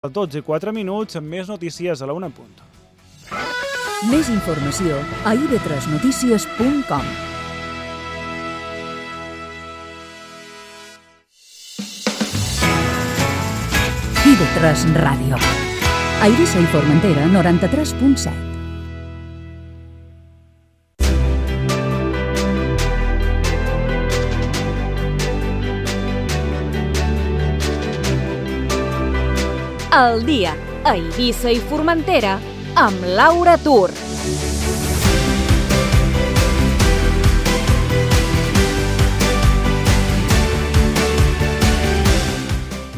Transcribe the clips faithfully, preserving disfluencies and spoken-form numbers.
A dotze i quatre minuts, amb més notícies a la una punt. Més informació a i ve tres notícies punt com. i ve tres Ràdio. A Eivissa i Formentera, noranta-tres punt set. El dia a Eivissa i Formentera amb Laura Tur.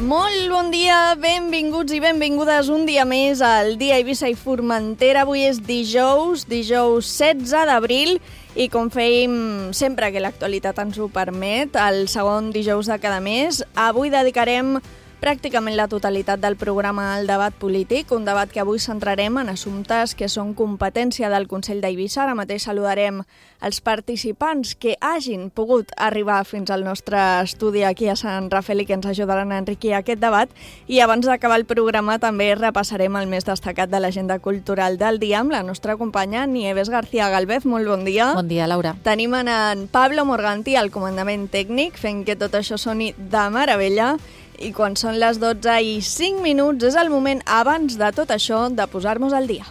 Molt bon dia, benvinguts i benvingudes un dia més al dia a Eivissa i Formentera. Avui és dijous, dijous setze d'abril, i com fèiem sempre que l'actualitat ens ho permet, el segon dijous de cada mes, avui dedicarem pràcticament la totalitat del programa al debat polític, un debat que avui centrarem en assumptes que són competència del Consell d'Eivissa. Ara mateix saludarem els participants que hagin pogut arribar fins al nostre estudi aquí a Sant Rafel i que ens ajudaran a enriquir aquest debat. I abans d'acabar el programa també repassarem el més destacat de l'agenda cultural del dia amb la nostra companya Nieves García Galvez. Molt bon dia. Bon dia, Laura. Tenim en Pablo Morganti al comandament tècnic, fent que tot això soni de meravella. I quan són les dotze i cinc minuts és el moment, abans de tot això, de posar-nos al dia.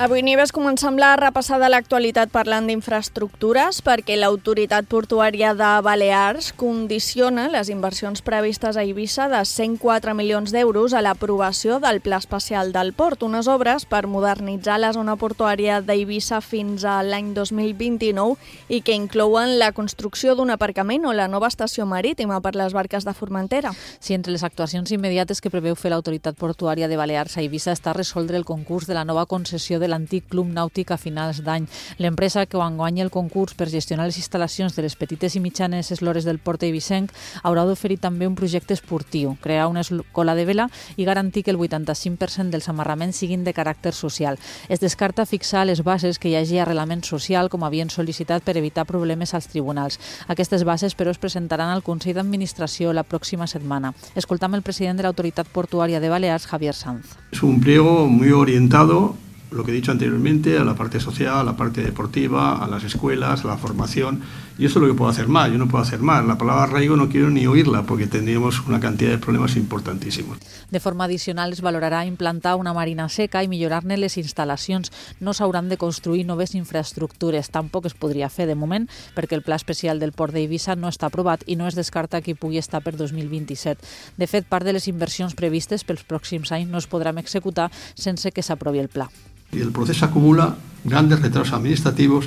Avui, Nieves, comencem la repassada a l'actualitat parlant d'infraestructures perquè l'Autoritat Portuària de Balears condiciona les inversions previstes a Eivissa de cent quatre milions d'euros a l'aprovació del Pla Especial del Port, unes obres per modernitzar la zona portuària d'Eivissa fins a l'any dos mil vint-i-nou i que inclouen la construcció d'un aparcament o la nova estació marítima per les barques de Formentera. Sí, entre les actuacions immediates que preveu fer l'Autoritat Portuària de Balears a Eivissa està resoldre el concurs de la nova concessió de l'antic Club Nàutic a finals d'any. L'empresa que guanya el concurs per gestionar les instal·lacions de les petites i mitjanes eslores del port eivissenc haurà d'oferir també un projecte esportiu, crear una escola de vela i garantir que el vuitanta-cinc per cent dels amarraments siguin de caràcter social. Es descarta fixar les bases que hi hagi arrelament social, com havien sol·licitat per evitar problemes als tribunals. Aquestes bases, però, es presentaran al Consell d'Administració la pròxima setmana. Escoltam el president de l'Autoritat Portuària de Balears, Javier Sanz. Es un pliego muy orientado, lo que he dicho anteriormente, a la parte social, a la parte deportiva, a las escuelas, a la formación, y eso es lo que puedo hacer más. Yo no puedo hacer más. La palabra arraigo no quiero ni oírla porque tendríamos una cantidad de problemas importantísimos. De forma addicional es valorarà implantar una marina seca i millorar-ne les instal·lacions. No s'hauran de construir noves infraestructures. Tampoc es podria fer de moment perquè el Pla Especial del Port d'Eivissa no està aprovat i no es descarta que hi pugui estar per dos mil vint-i-set. De fet, part de les inversions previstes pels pròxims anys no es podran executar sense que s'aprovi el pla. Y el proceso acumula grandes retrasos administrativos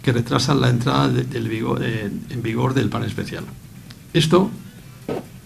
que retrasan la entrada de, del vigor, eh, en vigor del plan especial. Esto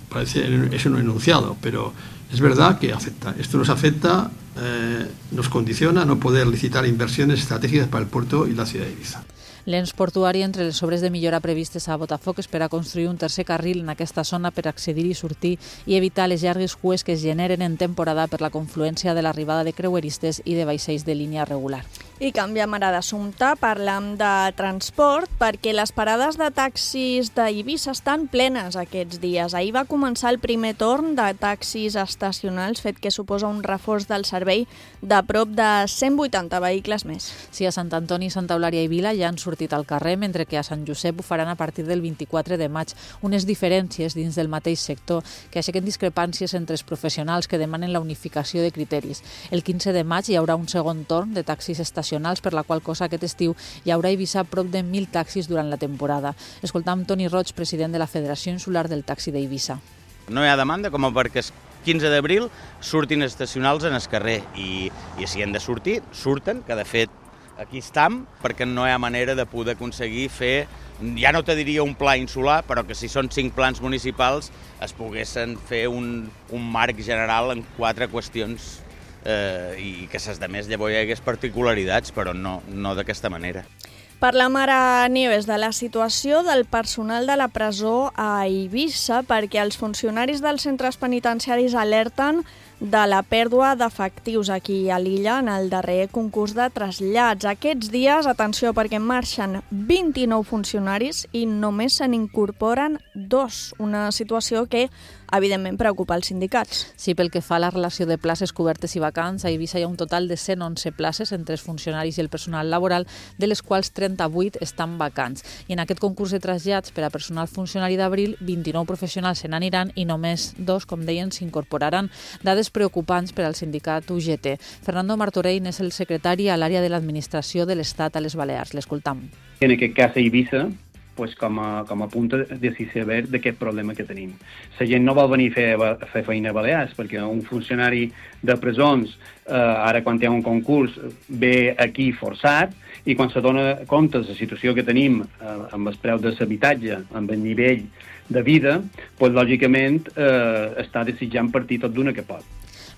parece es un enunciado, pero es verdad que afecta. Esto nos afecta, eh, nos condiciona a no poder licitar inversiones estratégicas para el puerto y la ciudad de Eivissa. L'ens portuari, entre les obres de millora previstes a Botafoc, espera construir un tercer carril en aquesta zona per accedir i sortir i evitar les llargues cues que es generen en temporada per la confluència de l'arribada de creueristes i de vaixells de línia regular. I canviem ara d'assumpte, parlem de transport, perquè les parades de taxis d'Eivissa estan plenes aquests dies. Ahir va començar el primer torn de taxis estacionals, fet que suposa un reforç del servei de prop de cent vuitanta vehicles més. Sí, a Sant Antoni, Santa Eulària i Vila ja han sortit al carrer, mentre que a Sant Josep ho faran a partir del vint-i-quatre de maig. Unes diferències dins del mateix sector que aixequen discrepàncies entre els professionals que demanen la unificació de criteris. El quinze de maig hi haurà un segon torn de taxis estacionals, per la qual cosa aquest estiu hi haurà a Eivissa prop de mil taxis durant la temporada. Escoltam Toni Roig, president de la Federació Insular del Taxi d'Eivissa. No hi ha demanda com perquè el quinze d'abril surtin estacionals en el carrer i, i si han de sortir, surten, que de fet aquí estem, perquè no hi ha manera de poder aconseguir fer, ja no te diria un pla insular, però que si són cinc plans municipals es poguessin fer un, un marc general en quatre qüestions eh, i que ses de més llavors hi hagués particularitats, però no, no d'aquesta manera. Parlem ara, Nieves, de la situació del personal de la presó a Eivissa, perquè els funcionaris dels centres penitenciaris alerten de la pèrdua d'efectius aquí a l'illa en el darrer concurs de trasllats. Aquests dies, atenció, perquè marxen vint-i-nou funcionaris i només se n'incorporen dos, una situació que evidentment preocupa els sindicats. Sí, pel que fa a la relació de places cobertes i vacants, a Eivissa hi ha un total de cent onze places entre els funcionaris i el personal laboral, de les quals trenta-vuit estan vacants. I en aquest concurs de trasllats per a personal funcionari d'Abril, vint-i-nou professionals se n'aniran i només dos, com deien, s'incorporaran. Dades preocupants per al sindicat U G T. Fernando Martorell és el secretari a l'àrea de l'administració de l'Estat a les Balears. L'escoltam. En aquest cas a Eivissa, pues com a, com a punta de saber d'aquest problema que tenim. La gent no vol venir a fer, a fer feina a Balears, perquè un funcionari de presons, eh, ara quan té un concurs, ve aquí forçat, i quan se dona compte de la situació que tenim eh, amb els preus de l'habitatge, amb el nivell de vida, pues, lògicament eh, està desitjant partir tot d'una que pot.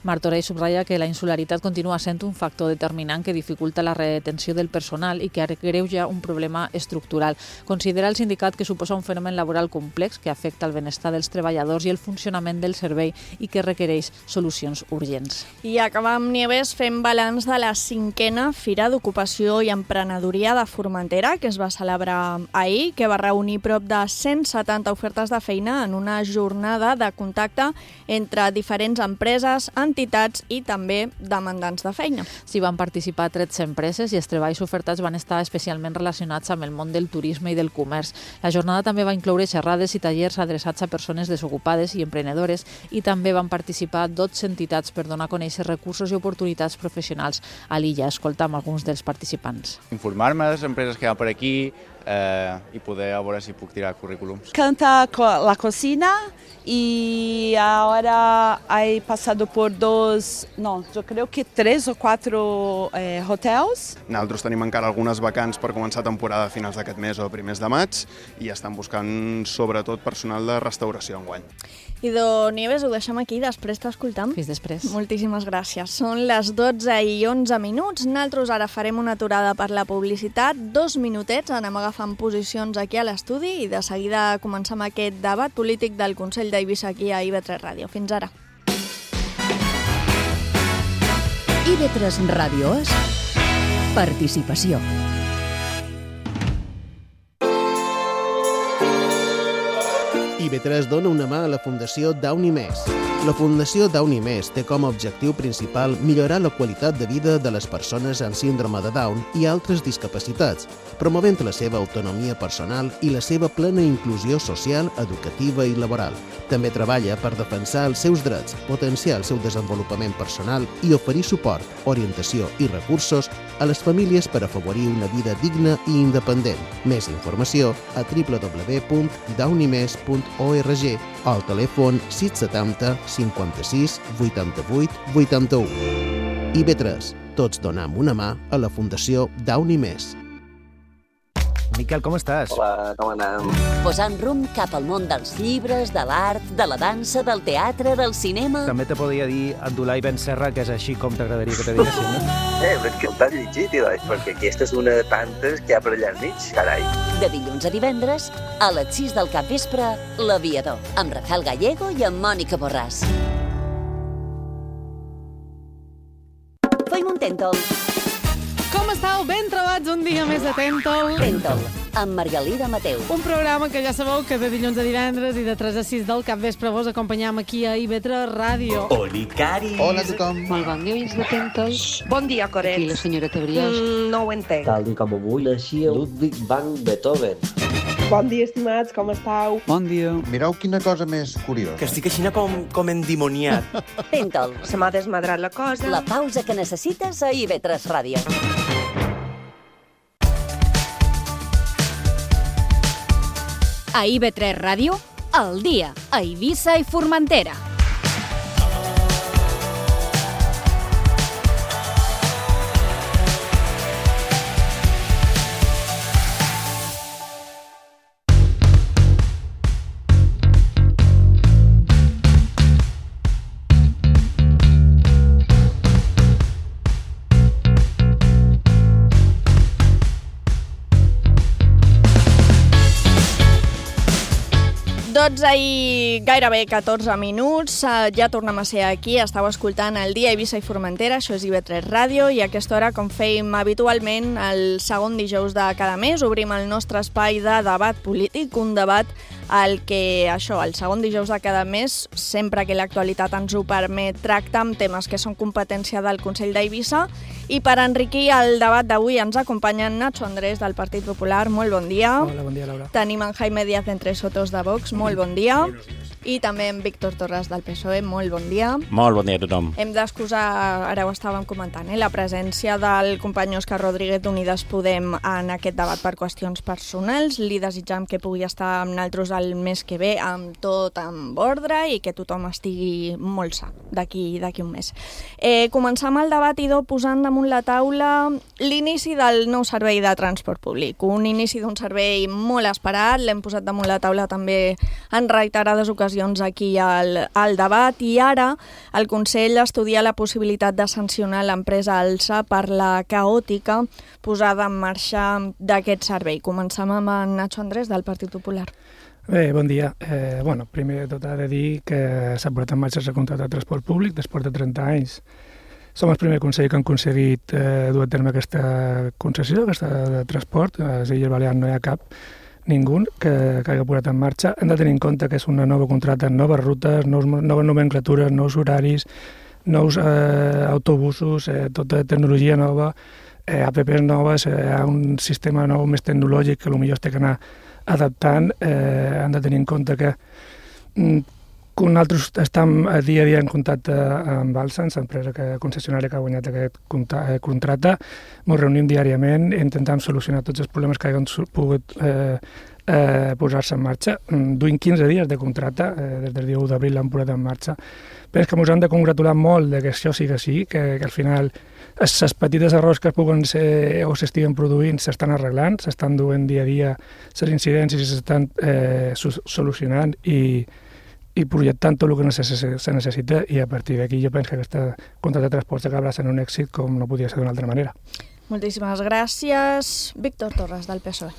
Martorell subratlla que la insularitat continua sent un factor determinant que dificulta la retenció del personal i que agreuja un problema estructural. Considera el sindicat que suposa un fenomen laboral complex que afecta el benestar dels treballadors i el funcionament del servei i que requereix solucions urgents. I acabam, Nieves, fent balanç de la cinquena Fira d'Ocupació i Emprenedoria de Formentera, que es va celebrar ahir, que va reunir prop de cent setanta ofertes de feina en una jornada de contacte entre diferents empreses, entitats i també demandants de feina. S'hi van participar tretze empreses i els treballs ofertats van estar especialment relacionats amb el món del turisme i del comerç. La jornada també va incloure xerrades i tallers adreçats a persones desocupades i emprenedores i també van participar dotze entitats per donar a conèixer recursos i oportunitats professionals a l'illa. Escoltam alguns dels participants. Informar-me de les empreses que hi ha per aquí eh, i poder a veure si puc tirar currículums. Canta la cocina y ahora he pasado por dos, no, yo creo que tres o cuatro eh, hotels. Nosaltres tenim encara algunes vacants per començar temporada a finals d'aquest mes o primers de maig i estan buscant sobretot personal de restauració enguany. Idò Nieves, ho deixem aquí, després t'escoltam. Fins després. Moltíssimes gràcies. Són les dotze i onze minuts. Nosaltres ara farem una aturada per la publicitat. Dos minutets, anem agafant posicions aquí a l'estudi i de seguida comencem aquest debat polític del Consell d'Eivissa aquí a I V tres Ràdio. Fins ara. I V tres Ràdio és participació. I V tres dona una mà a la Fundació Downy Més. La Fundació Downy Més té com a objectiu principal millorar la qualitat de vida de les persones amb síndrome de Down i altres discapacitats, promovent la seva autonomia personal i la seva plena inclusió social, educativa i laboral. També treballa per defensar els seus drets, potenciar el seu desenvolupament personal i oferir suport, orientació i recursos a les famílies per afavorir una vida digna i independent. Més informació a w w w punt downy mes punt org o al telèfon sis setanta cinquanta-sis vuitanta-vuit vuitanta-u. I V tres, tots donam una mà a la Fundació Downy Més. Miquel, com estàs? Hola, com anem? Posant rumb cap al món dels llibres, de l'art, de la dansa, del teatre, del cinema... També te podria dir Abdulai Ben Serra, que és així com t'agradaria que te diguessin, no? Eh, però és que el t'has llegit, Ilai, perquè aquesta és una de tantes que hi ha per allà al mig, carai. De dilluns a divendres, a les sis del capvespre, L'Aviador, amb Rafael Gallego i amb Mònica Borràs. Feim un tèntol. Com estàu? Ben trobats un dia més a Tèntol. Tèntol, amb Margalida Mateu. Un programa que ja sabeu que de dilluns a divendres i de tres a sis del capvespre vos acompanyam aquí a I V tres Ràdio. Oli, Caris. Hola a tothom. Molt bon dia, oients de Tèntol. Bon dia, Coret. Aquí la senyora Brioix. Mm, no ho entenc. Tal com avui naixia Ludwig van Beethoven. Bon dia, estimats, com estàu? Bon dia. Mireu quina cosa més curiosa. Que estic així com, com endimoniat. Tèntol. Se m'ha desmadrat la cosa. La pausa que necessites a I V tres Ràdio. A I V tres Ràdio, al dia, a Eivissa i Formentera. dotze i gairebé catorze minuts, ja tornem a ser aquí, estàu escoltant el Dia Eivissa i Formentera, això és I V tres Ràdio, i a aquesta hora, com fèiem habitualment, el segon dijous de cada mes, obrim el nostre espai de debat polític, un debat al que, això, el segon dijous de cada mes, sempre que l'actualitat ens ho permet, tracta amb temes que són competència del Consell d'Eivissa, i per enriquir el debat d'avui ens acompanyen Nacho Andrés del Partit Popular, molt bon dia. Hola, bon dia, Laura. Tenim en Jaime Díaz d'Entre Sotos de Vox, molt bon dia. I també en Víctor Torres del P S O E, molt bon dia. Molt bon dia a tothom. Hem d'excusar, ara ho estàvem comentant, eh, la presència del company Òscar Rodríguez d'Unides Podem en aquest debat per qüestions personals. Li desitjam que pugui estar amb nosaltres el mes que ve amb tot amb ordre i que tothom estigui molt sa d'aquí d'aquí un mes. Eh, començam el debat, idò, posant damunt la taula l'inici del nou servei de transport públic. Un inici d'un servei molt esperat, l'hem posat damunt la taula també en reiterades ocasions aquí al, al debat, i ara el Consell estudia la possibilitat de sancionar l'empresa Alsa per la caòtica posada en marxa d'aquest servei. Començam amb en Nacho Andrés del Partit Popular. Bé, bon dia. Eh, bueno, primer de tot ha de dir que s'ha posat en marxa el contracte de transport públic després de trenta anys. Som el primer Consell que han aconseguit eh, dur a terme aquesta concessió, aquesta de transport. A les Illes Balears no hi ha cap, ningú que, que hagi posat en marxa. Hem de tenir en compte que és una nova contracte, noves rutes, nous, noves nomenclatures, nous horaris, nous eh, autobusos, eh, tota tecnologia nova, eh, apps noves, eh, un sistema nou més tecnològic que potser es té que anar adaptant. Eh, hem de tenir en compte que mm, que nosaltres estem a dia a dia en contacte amb Alsa, l'empresa concessionària que ha guanyat aquest contracte. Ens reunim diàriament i intentem solucionar tots els problemes que hagin pogut eh, eh, posar-se en marxa. Duim quinze dies de contracte, eh, des del dia u d'abril l'han posat en marxa. Però és que ens hem de congratular molt de que això sigui així, que, que al final les petites errors que es puguen ser o s'estiguen produint s'estan arreglant, s'estan duent dia a dia les incidències i s'estan eh, solucionant i i projectant tot el que se necessita, i a partir d'aquí jo penso que aquesta contracte de transport acabarà sent un èxit com no podia ser d'una altra manera. Moltíssimes gràcies. Víctor Torres, del P S O E.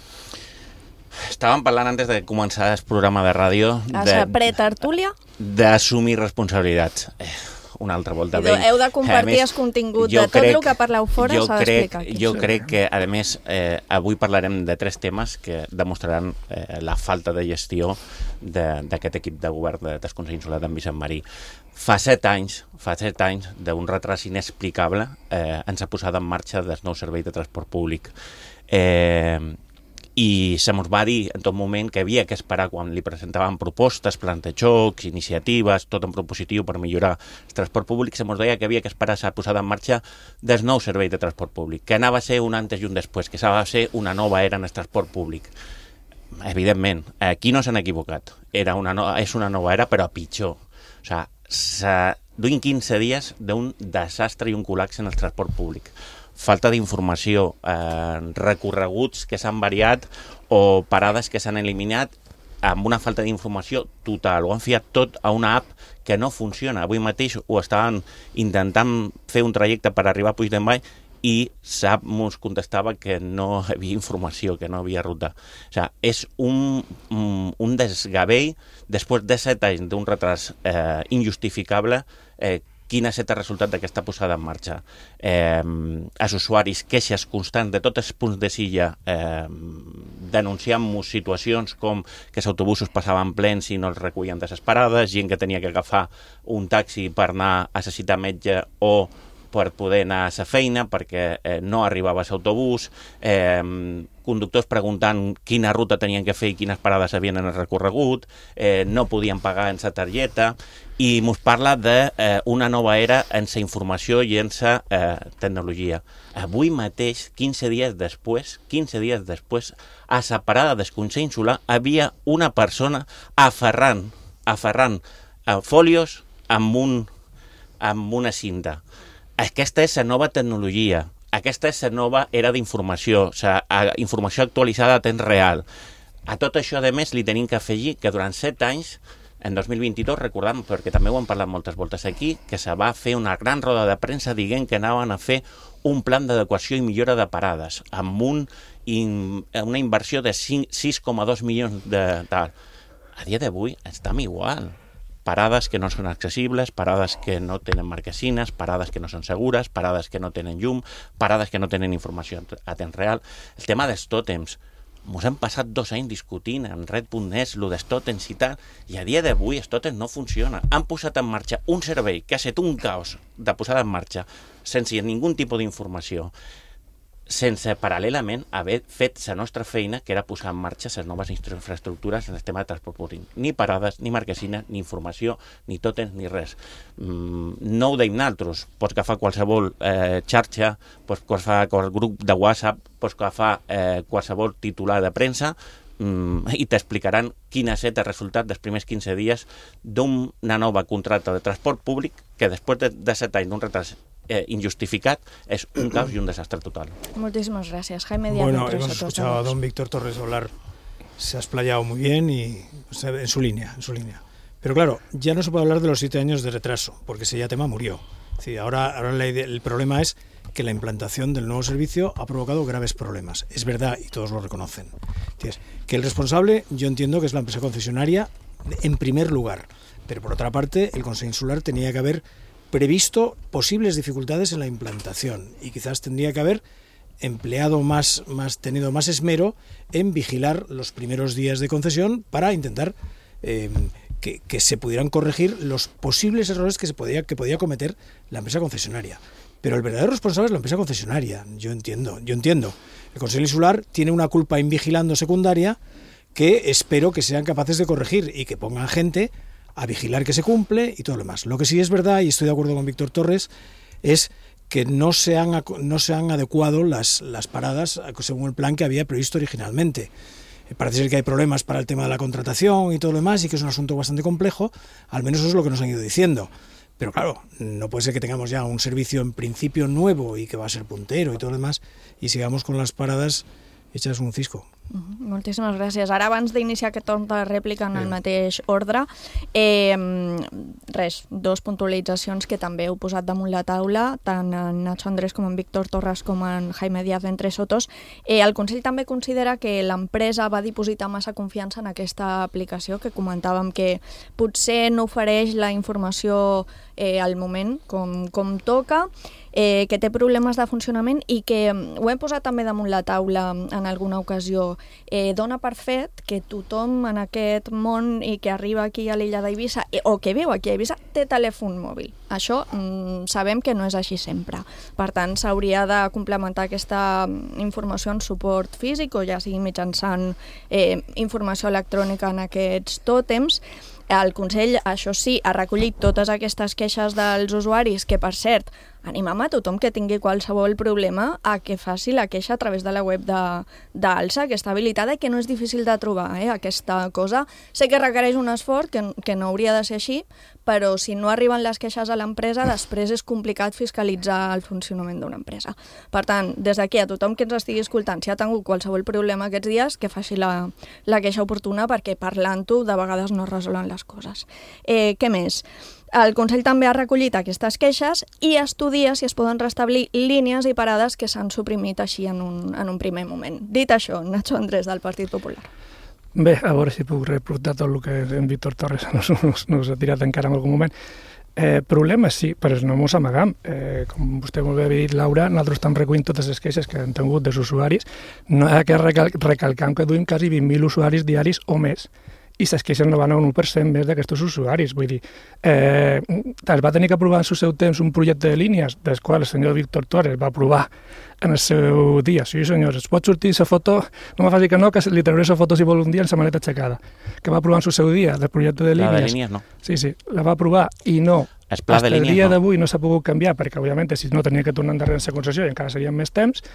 Estàvem parlant antes de començar el programa de ràdio de pretertúlia? D'assumir responsabilitats. Una altra volta. Idò, heu de compartir el contingut de tot crec, el que parleu fora, s'ha d'explicar aquí. Jo crec que, a més, eh, avui parlarem de tres temes que demostraran eh, la falta de gestió d'aquest equip de govern de Tascons Insular d'en Vicent Marí. Fa set anys, fa set anys d'un retras inexplicable, eh, ens ha posat en marxa el nou servei de transport públic. Eh, i se mos va dir en tot moment que havia que esperar quan li presentaven propostes, plans de xocs, iniciatives, tot en propositiu per millorar el transport públic, se mos deia que havia que esperar a posar en marxa del nou servei de transport públic, que anava a ser un antes i un després, que s'ha de ser una nova era en el transport públic. Evidentment, aquí no s'han equivocat. Era una no, és una nova era, però pitjor. O sigui, duim quinze dies d'un desastre i un col·lapse en el transport públic. Falta d'informació, eh, recorreguts que s'han variat o parades que s'han eliminat amb una falta d'informació total. Ho han fiat tot a una app que no funciona. Avui mateix ho estaven intentant fer un trajecte per arribar a Puigdemont i SAP ens contestava que no hi havia informació, que no hi havia ruta. O sigui, és un, un desgavell després de set anys d'un retras eh, injustificable. eh, quin ha estat el resultat d'aquesta posada en marxa. Eh, els usuaris, queixes constants de tots els punts de Silla, eh, denunciant-nos situacions com que els autobusos passaven plens i no els recullen de les parades, gent que tenia que agafar un taxi per anar a necessitar metge o per poder anar a la feina perquè eh, no arribava l'autobús, eh, conductors preguntant quina ruta tenien que fer i quines parades havien en el recorregut, eh, no podien pagar en la targeta, i ens parla d'una eh, nova era en la informació i en la eh, tecnologia. Avui mateix, quinze dies després, quinze dies després, a la parada del Consell Insular havia una persona aferrant, aferrant eh, fòlios amb, un, amb una cinta. Aquesta és la nova tecnologia, aquesta és la nova era d'informació, la informació actualitzada a temps real. A tot això, a més, li tenim que afegir que durant set anys, en dos mil vint-i-dos, recordem, perquè també ho hem parlat moltes voltes aquí, que se va fer una gran roda de premsa dient que anaven a fer un plan d'adequació i millora de parades, amb un, in, una inversió de sis coma dos milions de tal. a dia d'avui estem igual. Parades que no són accessibles, parades que no tenen marquesines, parades que no són segures, parades que no tenen llum, parades que no tenen informació a temps real. El tema dels tòtems, ens hem passat dos anys discutint en red punt net lo dels tòtems i tal, i a dia d'avui els tòtems no funcionen. Han posat en marxa un servei que ha estat un caos de posada en marxa sense ningú tipus d'informació, sense paral·lelament haver fet la nostra feina, que era posar en marxa les noves infraestructures en el tema de transport públic. Ni parades, ni marquesines, ni informació, ni tòtems, ni res. Mm, no ho deim naltros. Pots agafar qualsevol eh, xarxa, pots agafar qualsevol grup de WhatsApp, pots agafar eh, qualsevol titular de premsa mm, i t'explicaran quin ha estat el resultat dels primers quinze dies d'una nova contracta de transport públic que després de, de set anys d'un retard Eh, injustificat, es un caos y un desastre total. Muchísimas gracias. Jaime Díaz. Bueno, hemos escuchado a don Víctor Torres hablar, se ha explayado muy bien y en su línea, en su línea. Pero claro, ya no se puede hablar de los siete años de retraso, porque ese ya tema murió. Sí, ahora ahora la idea, el problema es que la implantación del nuevo servicio ha provocado graves problemas. Es verdad, y todos lo reconocen. Entonces, que el responsable, yo entiendo que es la empresa concesionaria en primer lugar, pero por otra parte, el Consejo Insular tenía que haber previsto posibles dificultades en la implantación y quizás tendría que haber empleado más, más tenido más esmero en vigilar los primeros días de concesión para intentar eh, que, que se pudieran corregir los posibles errores que se podía, que podía cometer la empresa concesionaria. Pero el verdadero responsable es la empresa concesionaria, yo entiendo, yo entiendo. El Consejo Insular tiene una culpa invigilando secundaria que espero que sean capaces de corregir y que pongan gente a vigilar que se cumple y todo lo demás. Lo que sí es verdad, y estoy de acuerdo con Víctor Torres, es que no se han, no se han adecuado las, las paradas según el plan que había previsto originalmente. Parece ser que hay problemas para el tema de la contratación y todo lo demás, y que es un asunto bastante complejo, al menos eso es lo que nos han ido diciendo. Pero claro, no puede ser que tengamos ya un servicio en principio nuevo y que va a ser puntero y todo lo demás, y sigamos con las paradas hechas un cisco. Uh-huh. Moltíssimes gràcies. Ara, abans d'iniciar aquest torn de rèplica en el mateix ordre, eh, res, dos puntualitzacions que també heu posat damunt la taula, tant en Nacho Andrés com en Víctor Torres com en Jaime Díaz entre Sotos. Eh, el Consell també considera que l'empresa va dipositar massa confiança en aquesta aplicació, que comentàvem que potser no ofereix la informació eh, al moment com, com toca, eh, que té problemes de funcionament i que, ho hem posat també damunt la taula en alguna ocasió, eh, dona per fet que tothom en aquest món i que arriba aquí a l'illa d'Eivissa eh, o que viu aquí a Eivissa té telèfon mòbil. Això mm, sabem que no és així sempre. Per tant, s'hauria de complementar aquesta informació en suport físic o ja sigui mitjançant eh, informació electrònica en aquests tòtems. El Consell, això sí, ha recollit totes aquestes queixes dels usuaris, que per cert, animem a tothom que tingui qualsevol problema a que faci la queixa a través de la web d'Alsa, que està habilitada i que no és difícil de trobar, eh, aquesta cosa. Sé que requereix un esforç, que, que no hauria de ser així, però si no arriben les queixes a l'empresa, després és complicat fiscalitzar el funcionament d'una empresa. Per tant, des d'aquí a tothom que ens estigui escoltant, si ha tingut qualsevol problema aquests dies, que faci la, la queixa oportuna, perquè parlant-ho de vegades no es resolen les coses. Eh, què més? El Consell també ha recollit aquestes queixes i estudia si es poden restablir línies i parades que s'han suprimit així en un, en un primer moment. Dit això, Nacho Andrés, del Partit Popular. Bé, a veure si puc reportar tot el que en Víctor Torres nos, nos, nos ha tirat encara en algun moment. Eh, problemes sí, però no mos amagam. Eh, com vostè molt bé ha dit, Laura, nosaltres estem recollint totes les queixes que han tingut dels usuaris. No hi ha que recal recalcar que duim quasi vint mil usuaris diaris o més, i les queixes no van a un u per cent més d'aquests usuaris. Vull dir, eh, es va tenir que aprovar en el seu temps un projecte de línies, del qual el senyor Víctor Torres va aprovar en el seu dia. Sí, senyors, es pot sortir la foto, no me faci que no, que li trauré la foto si vol un dia en la maneta aixecada, que va aprovar en el seu dia, del projecte de línies. La de línies no. Sí, sí, la va aprovar i no. El pla de línies no. El dia d'avui no s'ha pogut canviar, perquè, òbviament, si no tenia que tornar endarrere en la concessió i encara serien més temps.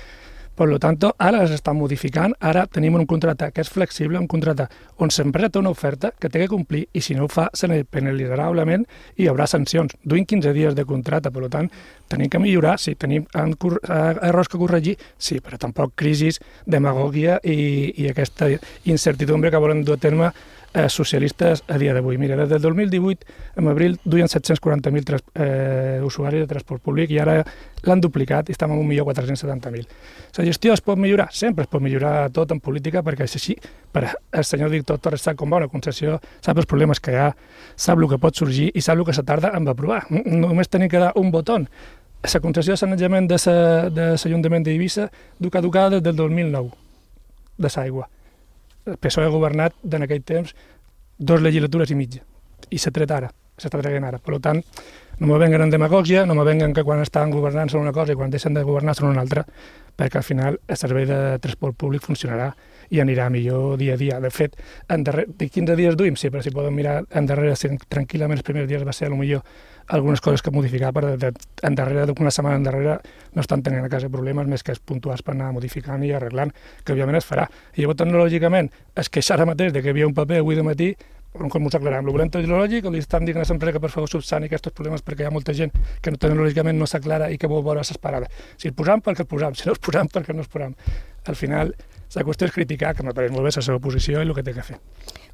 Per tant, ara les estan modificant, ara tenim un contracte que és flexible, un contracte on l'empresa té una oferta que té que complir i si no ho fa se ne penalitzarà, òbviament, i hi haurà sancions. Duim quinze dies de contracte, per tant, tenim que millorar, sí, tenim errors que corregir, sí, però tampoc crisis, demagògia i, i aquesta incertidumbre que volen dur a terme eh, socialistes a dia d'avui. Mira, des del dos mil divuit, en abril, duien set-cents quaranta mil eh, usuaris de transport públic i ara l'han duplicat i estem en un milió quatre-cents setanta mil. La gestió es pot millorar? Sempre es pot millorar tot en política perquè és així. Per el senyor director Torres sap com va una concessió, sap els problemes que hi ha, sap el que pot sorgir i sap el que se tarda en aprovar. Només tenim que dar un botó. La concessió de sanejament de l'Ajuntament d'Eivissa du caducada des del dos mil nou, de l'aigua. El P S O E ha governat en aquell temps dues legislatures i mitja, i s'ha tret ara, s'està traient ara. Per tant, no me venguen en demagògia, no me venguen que quan estan governant són una cosa i quan deixen de governar són una altra, perquè al final el servei de transport públic funcionarà i anirà millor dia a dia. De fet, en darrere, de quinze dies duim, sí, però si podem mirar endarrere, tranquil·lament els primers dies va ser potser algunes coses que modificar, però endarrere d'una setmana endarrere no estan tenint a casa problemes més que els puntuals per anar modificant i arreglant, que òbviament es farà. I llavors, tecnològicament, es queixa ara mateix de que hi havia un paper avui de matí, com ens aclarem, el volem tecnològic, li estan dient a l'empresa que per favor subsani aquests problemes perquè hi ha molta gent que tecnològicament no s'aclara i que vol veure les parades. Si els posam, perquè els posam, si no els posam, perquè no els posam. Al final, la qüestió és criticar, que me pareix molt bé la seva posició i el que té que fer.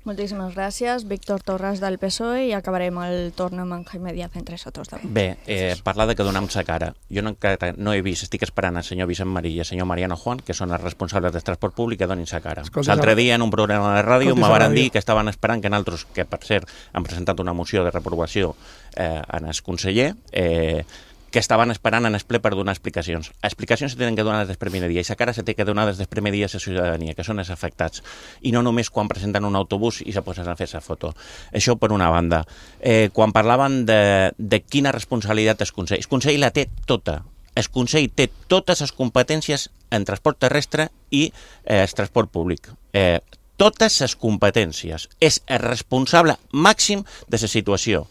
Moltíssimes gràcies, Víctor Torres del P S O E, i acabarem el torn amb en Jaime Díaz entre nosotros. Bé, eh, parlar de que donem sa cara. Jo no, no he vist, estic esperant el senyor Vicent Marí i el senyor Mariano Juan, que són els responsables del transport públic, que donin sa cara. L'altre dia, en un programa de ràdio, me van dir que estaven esperant que nosaltres, que per cert, han presentat una moció de reprovació eh, en el conseller, eh, que estaven esperant en el ple per donar explicacions. Explicacions se tenen que donar des del primer dia i sa cara se té que donar des del primer dia a la ciutadania, que són els afectats, i no només quan presenten un autobús i se posen a fer la foto. Això per una banda. Eh, quan parlaven de, de quina responsabilitat el Consell, el Consell la té tota. El Consell té totes les competències en transport terrestre i eh, el transport públic. Eh, totes les competències. És el responsable màxim de la situació.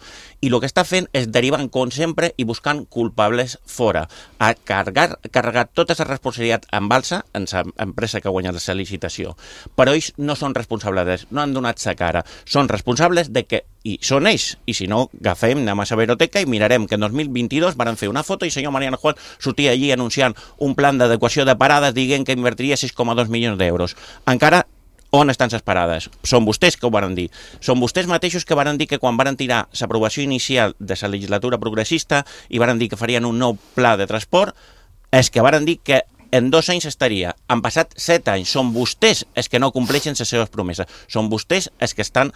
I el que està fent és derivant, com sempre, i buscant culpables fora. A carregar, carregar tota la responsabilitat en balsa en l'empresa que ha guanyat la licitació. Però ells no són responsables, no han donat sa cara. Són responsables de que, i són ells, i si no, agafem, anem a la biblioteca i mirarem que en dos mil vint-i-dos van fer una foto i el senyor Mariano Juan sortia allí anunciant un plan d'adequació de parades dient que invertiria sis coma dos milions d'euros. Encara on estan les parades? Són vostès que ho van dir. Són vostès mateixos que van dir que quan van tirar l'aprovació inicial de la legislatura progressista i van dir que farien un nou pla de transport, és que van dir que en dos anys estaria. Han passat set anys. Són vostès els que no compleixen les seves promeses. Són vostès els que estan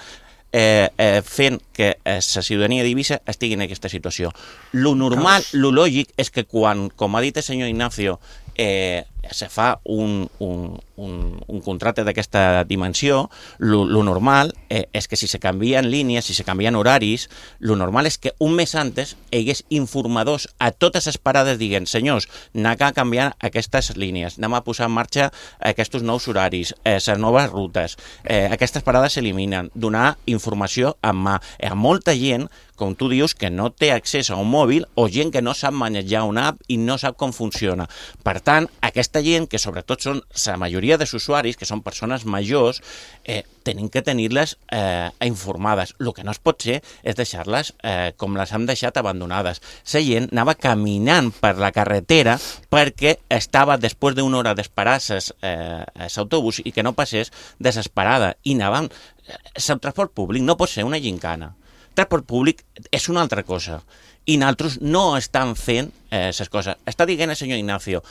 eh, eh, fent que la ciutadania d'Eivissa estigui en aquesta situació. Lo normal, lo lògic, és que quan, com ha dit el senyor Ignacio, eh, se fa un, un, un, un contracte d'aquesta dimensió, lo, lo normal eh, és que si se canvien línies, si se canvien horaris, lo normal és que un mes antes hi hagués informadors a totes les parades dient, senyors, anem a canviar aquestes línies, anem a posar en marxa aquests nous horaris, eh, les noves rutes, eh, aquestes parades s'eliminen, donar informació en mà. Hi ha molta gent, com tu dius, que no té accés a un mòbil o gent que no sap manejar una app i no sap com funciona. Per tant, aquesta gent, que sobretot són la majoria dels usuaris, que són persones majors, eh, tenim que tenir-les eh, informades. El que no es pot ser és deixar-les eh, com les hem deixat abandonades. La gent anava caminant per la carretera perquè estava, després d'una hora d'esperar l'autobús eh, i que no passés, desesperada. I anaven... El transport públic no pot ser una gincana. El transport públic és una altra cosa. I nosaltres no estan fent les eh, coses. Està dient el senyor Ignacio,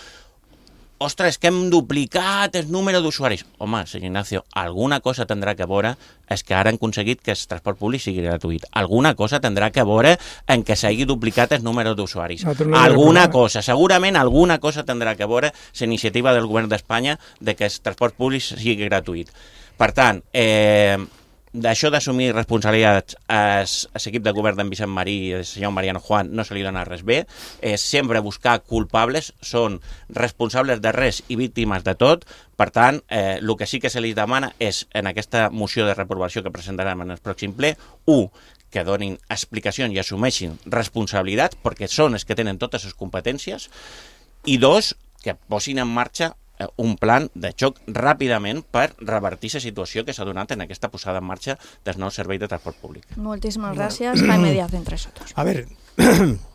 ostres, que hem duplicat el número d'usuaris. Home, senyor Ignacio, alguna cosa tindrà que veure és que ara han aconseguit que el transport públic sigui gratuït. Alguna cosa tindrà que veure en que s'hagi duplicat el número d'usuaris. No, alguna cosa, segurament alguna cosa tindrà que veure la iniciativa del govern d'Espanya de que el transport públic sigui gratuït. Per tant, eh, d'això d'assumir responsabilitats a l'equip de govern d'en Vicent Marí i el senyor Mariano Juan no se li dona res bé, és sempre buscar culpables, són responsables de res i víctimes de tot. Per tant, eh, el que sí que se li demana és, en aquesta moció de reprovació que presentarem en el pròxim ple, u, que donin explicacions i assumeixin responsabilitats, perquè són els que tenen totes les competències, i dos, que posin en marxa un plan de xoc ràpidament per revertir la situació que s'ha donat en aquesta posada en marxa del nou servei de transport públic. Moltíssimes gràcies. Jaime Díaz entre nosotros. A ver,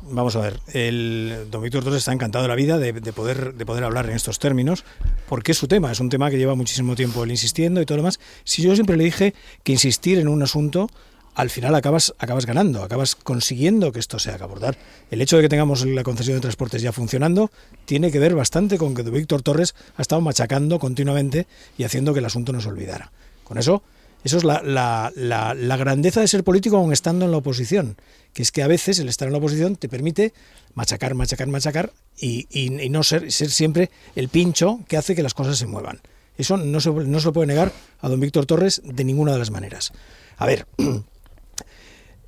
vamos a ver, el don Víctor Torres está encantado de la vida de, de, poder, de poder hablar en estos términos, porque es su tema, es un tema que lleva muchísimo tiempo él insistiendo y todo lo demás. Si yo siempre le dije que insistir en un asunto, al final acabas, acabas ganando, acabas consiguiendo que esto se haga abordar. El hecho de que tengamos la concesión de transportes ya funcionando tiene que ver bastante con que don Víctor Torres ha estado machacando continuamente y haciendo que el asunto no se olvidara. Con eso... Eso es la, la, la, la grandeza de ser político aun estando en la oposición, que es que a veces el estar en la oposición te permite machacar, machacar, machacar y, y, y no ser, ser siempre el pincho que hace que las cosas se muevan. Eso no se, no se lo puede negar a don Víctor Torres de ninguna de las maneras. A ver,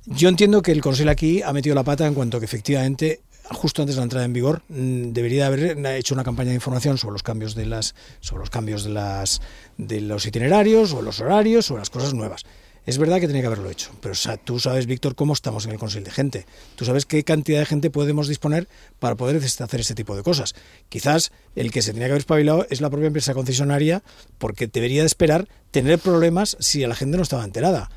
yo entiendo que el Consell aquí ha metido la pata en cuanto que efectivamente... justo antes de la entrada en vigor, debería haber hecho una campaña de información sobre los cambios de las sobre los cambios de las de los itinerarios o los horarios o las cosas nuevas. Es verdad que tenía que haberlo hecho, pero o sea, tú sabes, Víctor, cómo estamos en el Consell de gente. Tú sabes qué cantidad de gente podemos disponer para poder hacer este tipo de cosas. Quizás el que se tenía que haber espabilado es la propia empresa concesionaria, porque debería de esperar tener problemas si la gente no estaba enterada.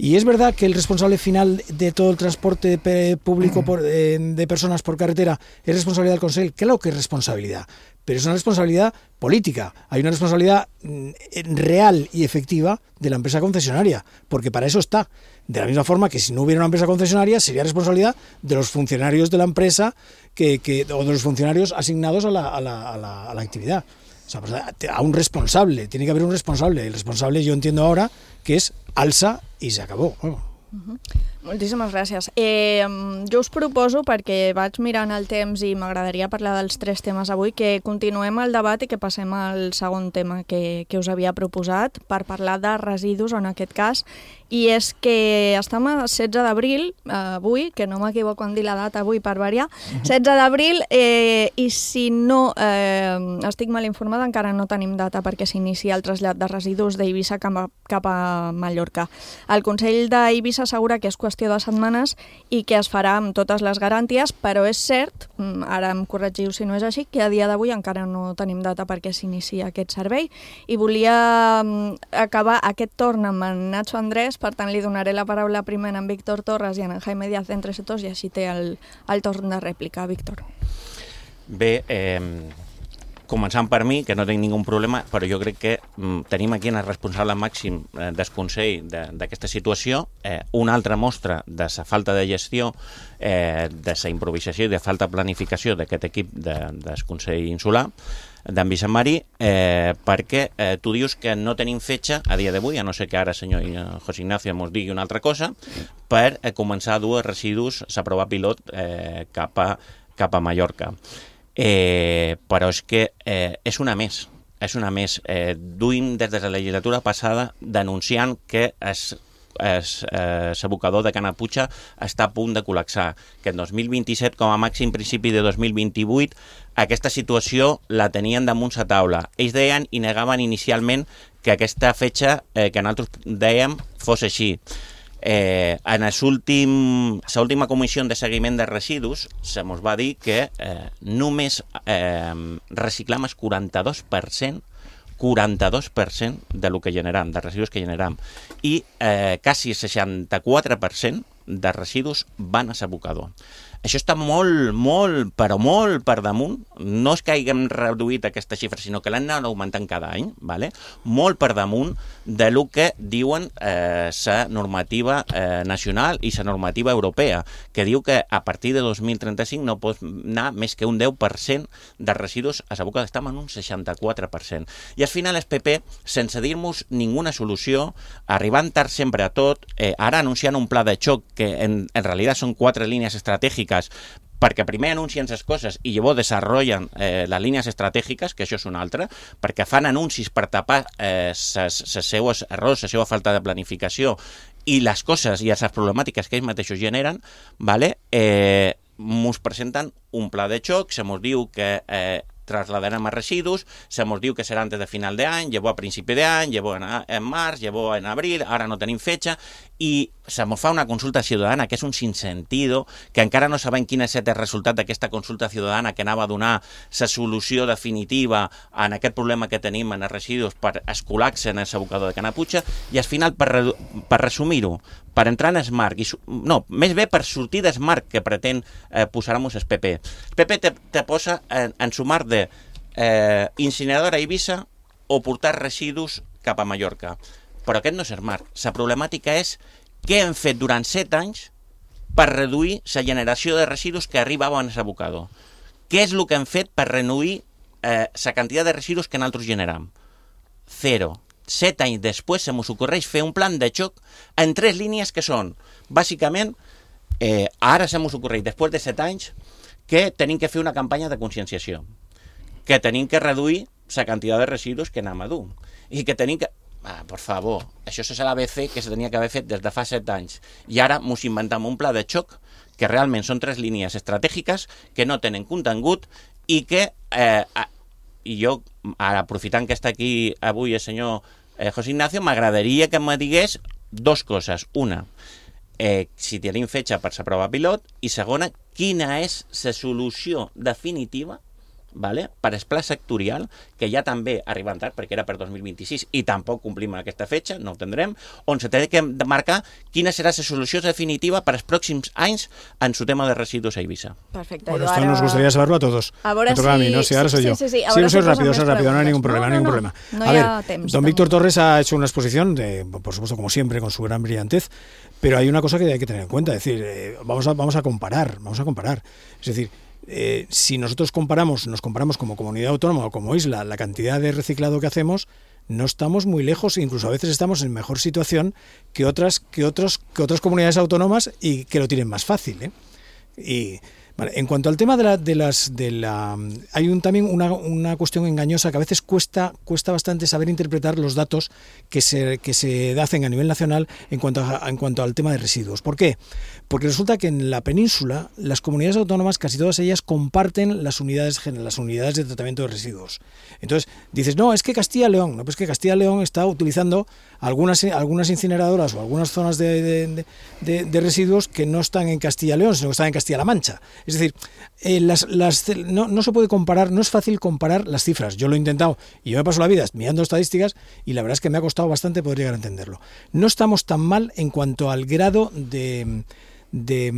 Y es verdad que el responsable final de todo el transporte público por, eh, de personas por carretera es responsabilidad del Consell. Claro que es responsabilidad, pero es una responsabilidad política. Hay una responsabilidad mm, real y efectiva de la empresa concesionaria, porque para eso está. De la misma forma que si no hubiera una empresa concesionaria, sería responsabilidad de los funcionarios de la empresa que, que, o de los funcionarios asignados a la, a la, a la, a la actividad. O sea, pues a un responsable, tiene que haber un responsable. El responsable yo entiendo ahora que és alça i s'acabó. Bueno. Uh-huh. Moltíssimes gràcies. Eh, jo us proposo, perquè vaig mirant el temps i m'agradaria parlar dels tres temes avui, que continuem el debat i que passem al segon tema que, que us havia proposat per parlar de residus en aquest cas, i és que estem a setze d'abril, eh, avui, que no m'equivoco en dir la data avui per variar, setze d'abril, eh, i si no eh, estic mal informada, encara no tenim data perquè s'inicia el trasllat de residus d'Eivissa cap a, cap a Mallorca. El Consell d'Eivissa assegura que és qüestió de setmanes i que es farà amb totes les garanties, però és cert, ara em corregiu si no és així, que a dia d'avui encara no tenim data perquè s'inicia aquest servei, i volia acabar aquest torn amb en Nacho Andrés, per tant li donaré la paraula primer a en Víctor Torres i a en Jaime Díaz d'Entre Sectors, i així té el, el torn de rèplica. Víctor. Bé, eh, començant per mi, que no tinc ningú problema, però jo crec que mm, tenim aquí el responsable màxim eh, del Consell d'aquesta de, situació, eh, una altra mostra de la falta de gestió, eh, de la improvisació i de falta de planificació d'aquest equip de, del Consell Insular d'en Vicent Marí, eh, perquè eh, tu dius que no tenim fetge a dia d'avui, a no ser que ara el senyor José Ignacio ens digui una altra cosa, per eh, començar a dur residus, s'aprovar pilot eh, cap, a, cap a Mallorca. Eh, però és que eh, és una més, és una més. Eh, duim des de la legislatura passada denunciant que es l'abocador de Canaputxa està a punt de col·lapsar, que en dos mil vint-i-set, com a màxim principi de dos mil vint-i-vuit, aquesta situació la tenien damunt la taula. Ells deien i negaven inicialment que aquesta fetge eh, que nosaltres dèiem fos així. Eh, en l'última comissió de seguiment de residus se mos va dir que eh, només eh, reciclam el quaranta-dos per cent quaranta-dos per cent de lo que generam, de residus que generam, i eh, quasi el seixanta-quatre per cent de residus van a l'abocador. Això està molt, molt, però molt per damunt. No és que haguem reduït aquesta xifra, sinó que l'han anat augmentant cada any, ¿vale? Molt per damunt de lo que diuen la eh, normativa eh, nacional i la normativa europea, que diu que a partir de dos mil trenta-cinc no pot anar més que un deu per cent de residus a l'abocador. Estem en un seixanta-quatre per cent. I al final el P P, sense dir-nos ninguna solució, arribant tard sempre a tot, eh, ara anunciant un pla de xoc que en, en realitat són quatre línies estratègiques, perquè primer anuncien les coses i llavors desenvolupen eh, les línies estratègiques, que això és una altra, perquè fan anuncis per tapar els eh, seus errors, la seva falta de planificació i les coses i les problemàtiques que ells mateixos generen, ¿vale? eh, mos presenten un pla de xoc, se mos diu que eh, trasladarem a residus, se mos diu que serà antes de final d'any, llavors a principi d'any, llavors en, en març, llavors en abril, ara no tenim fetge, i se mos fa una consulta ciutadana que és un sinsentido, que encara no sabem quin és el resultat d'aquesta consulta ciutadana que anava a donar la solució definitiva en aquest problema que tenim en els residus per escolar-se en el abocador de Canaputxa, i al final, per, per resumir-ho, per entrar en Smart, i, no, més bé per sortir de Smart que pretén eh, posar-nos el P P. El P P te, te posa en, en sumar de eh, incineradora a Eivissa o portar residus cap a Mallorca. Però aquest no és Smart. La problemàtica és què hem fet durant set anys per reduir la generació de residus que arribaven a l'abocador. Què és el que hem fet per reduir la eh, quantitat de residus que nosaltres generam? Zero. Set anys després se m'us ocorreix fer un plan de xoc en tres línies que són, bàsicament, eh, ara se m'us ocorreix, després de set anys, que tenim que fer una campanya de conscienciació, que tenim que reduir la quantitat de residus que anem a dur, i que tenim que... Ah, per favor, això és l'A B C que se tenia que haver fet des de fa set anys, i ara mos inventem un pla de xoc que realment són tres línies estratègiques que no tenen contingut i que, eh, i jo, ara aprofitant que està aquí avui el senyor eh, José Ignacio, m'agradaria que me digués dos coses. Una, eh, si tenim fetge per la prova pilot, i segona, quina és la solució definitiva, vale, per el pla sectorial, que ja també ha arribat tard, perquè era per dos mil vint-i-sis i tampoc complim aquesta fetge, no ho tindrem, on se té que marcar quina serà la solució definitiva per als pròxims anys en su tema de residus a Eivissa. Perfecte. Bueno, esto nos gustaría saberlo a todos. A veure si... a mí, ¿no? Si ahora soy sí, yo. Sí, sí, sí, no soy si rápido, soy rápido, no hay ningún problema, no, no, ningún no, problema. No a ver, temps, don Víctor Torres ha hecho una exposición, de, por supuesto, como siempre, con su gran brillantez, pero hay una cosa que hay que tener en cuenta, es decir, eh, vamos, a, vamos a comparar, vamos a comparar. Es decir, Eh, si nosotros comparamos, nos comparamos como comunidad autónoma o como isla, la cantidad de reciclado que hacemos, no estamos muy lejos, incluso a veces estamos en mejor situación que otras, que otros, que otras comunidades autónomas y que lo tienen más fácil, ¿eh? Y vale, en cuanto al tema de la, de las, de la, hay un, también una, una cuestión engañosa que a veces cuesta, cuesta bastante saber interpretar los datos que se, que se hacen a nivel nacional en cuanto a, en cuanto al tema de residuos. ¿Por qué? Porque resulta que en la península las comunidades autónomas, casi todas ellas, comparten las unidades, las unidades de tratamiento de residuos. Entonces dices, no, es que Castilla y León, no, pues que Castilla y León está utilizando algunas, algunas incineradoras o algunas zonas de, de, de, de residuos que no están en Castilla y León, sino que están en Castilla-La Mancha. Es decir, eh, las, las, no, no se puede comparar, no es fácil comparar las cifras. Yo lo he intentado y yo me paso la vida mirando estadísticas y la verdad es que me ha costado bastante poder llegar a entenderlo. No estamos tan mal en cuanto al grado de... De,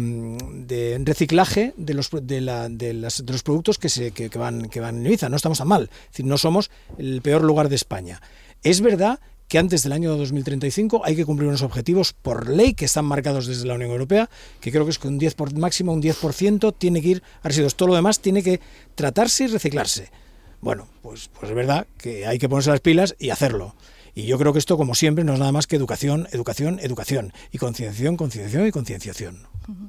de reciclaje de los de, la, de, las, de los productos que se que, que van que van en Ibiza. No estamos tan mal, es decir, no somos el peor lugar de España. Es verdad que antes del año dos mil treinta y cinco hay que cumplir unos objetivos por ley que están marcados desde la Unión Europea, que creo que es que un diez por, máximo un diez por ciento tiene que ir a residuos. Todo lo demás tiene que tratarse y reciclarse. Bueno, pues, pues es verdad que hay que ponerse las pilas y hacerlo. Y yo creo que esto, como siempre, no es nada más que educación, educación, educación. I concienciació, concienciació i concienciació. Uh-huh.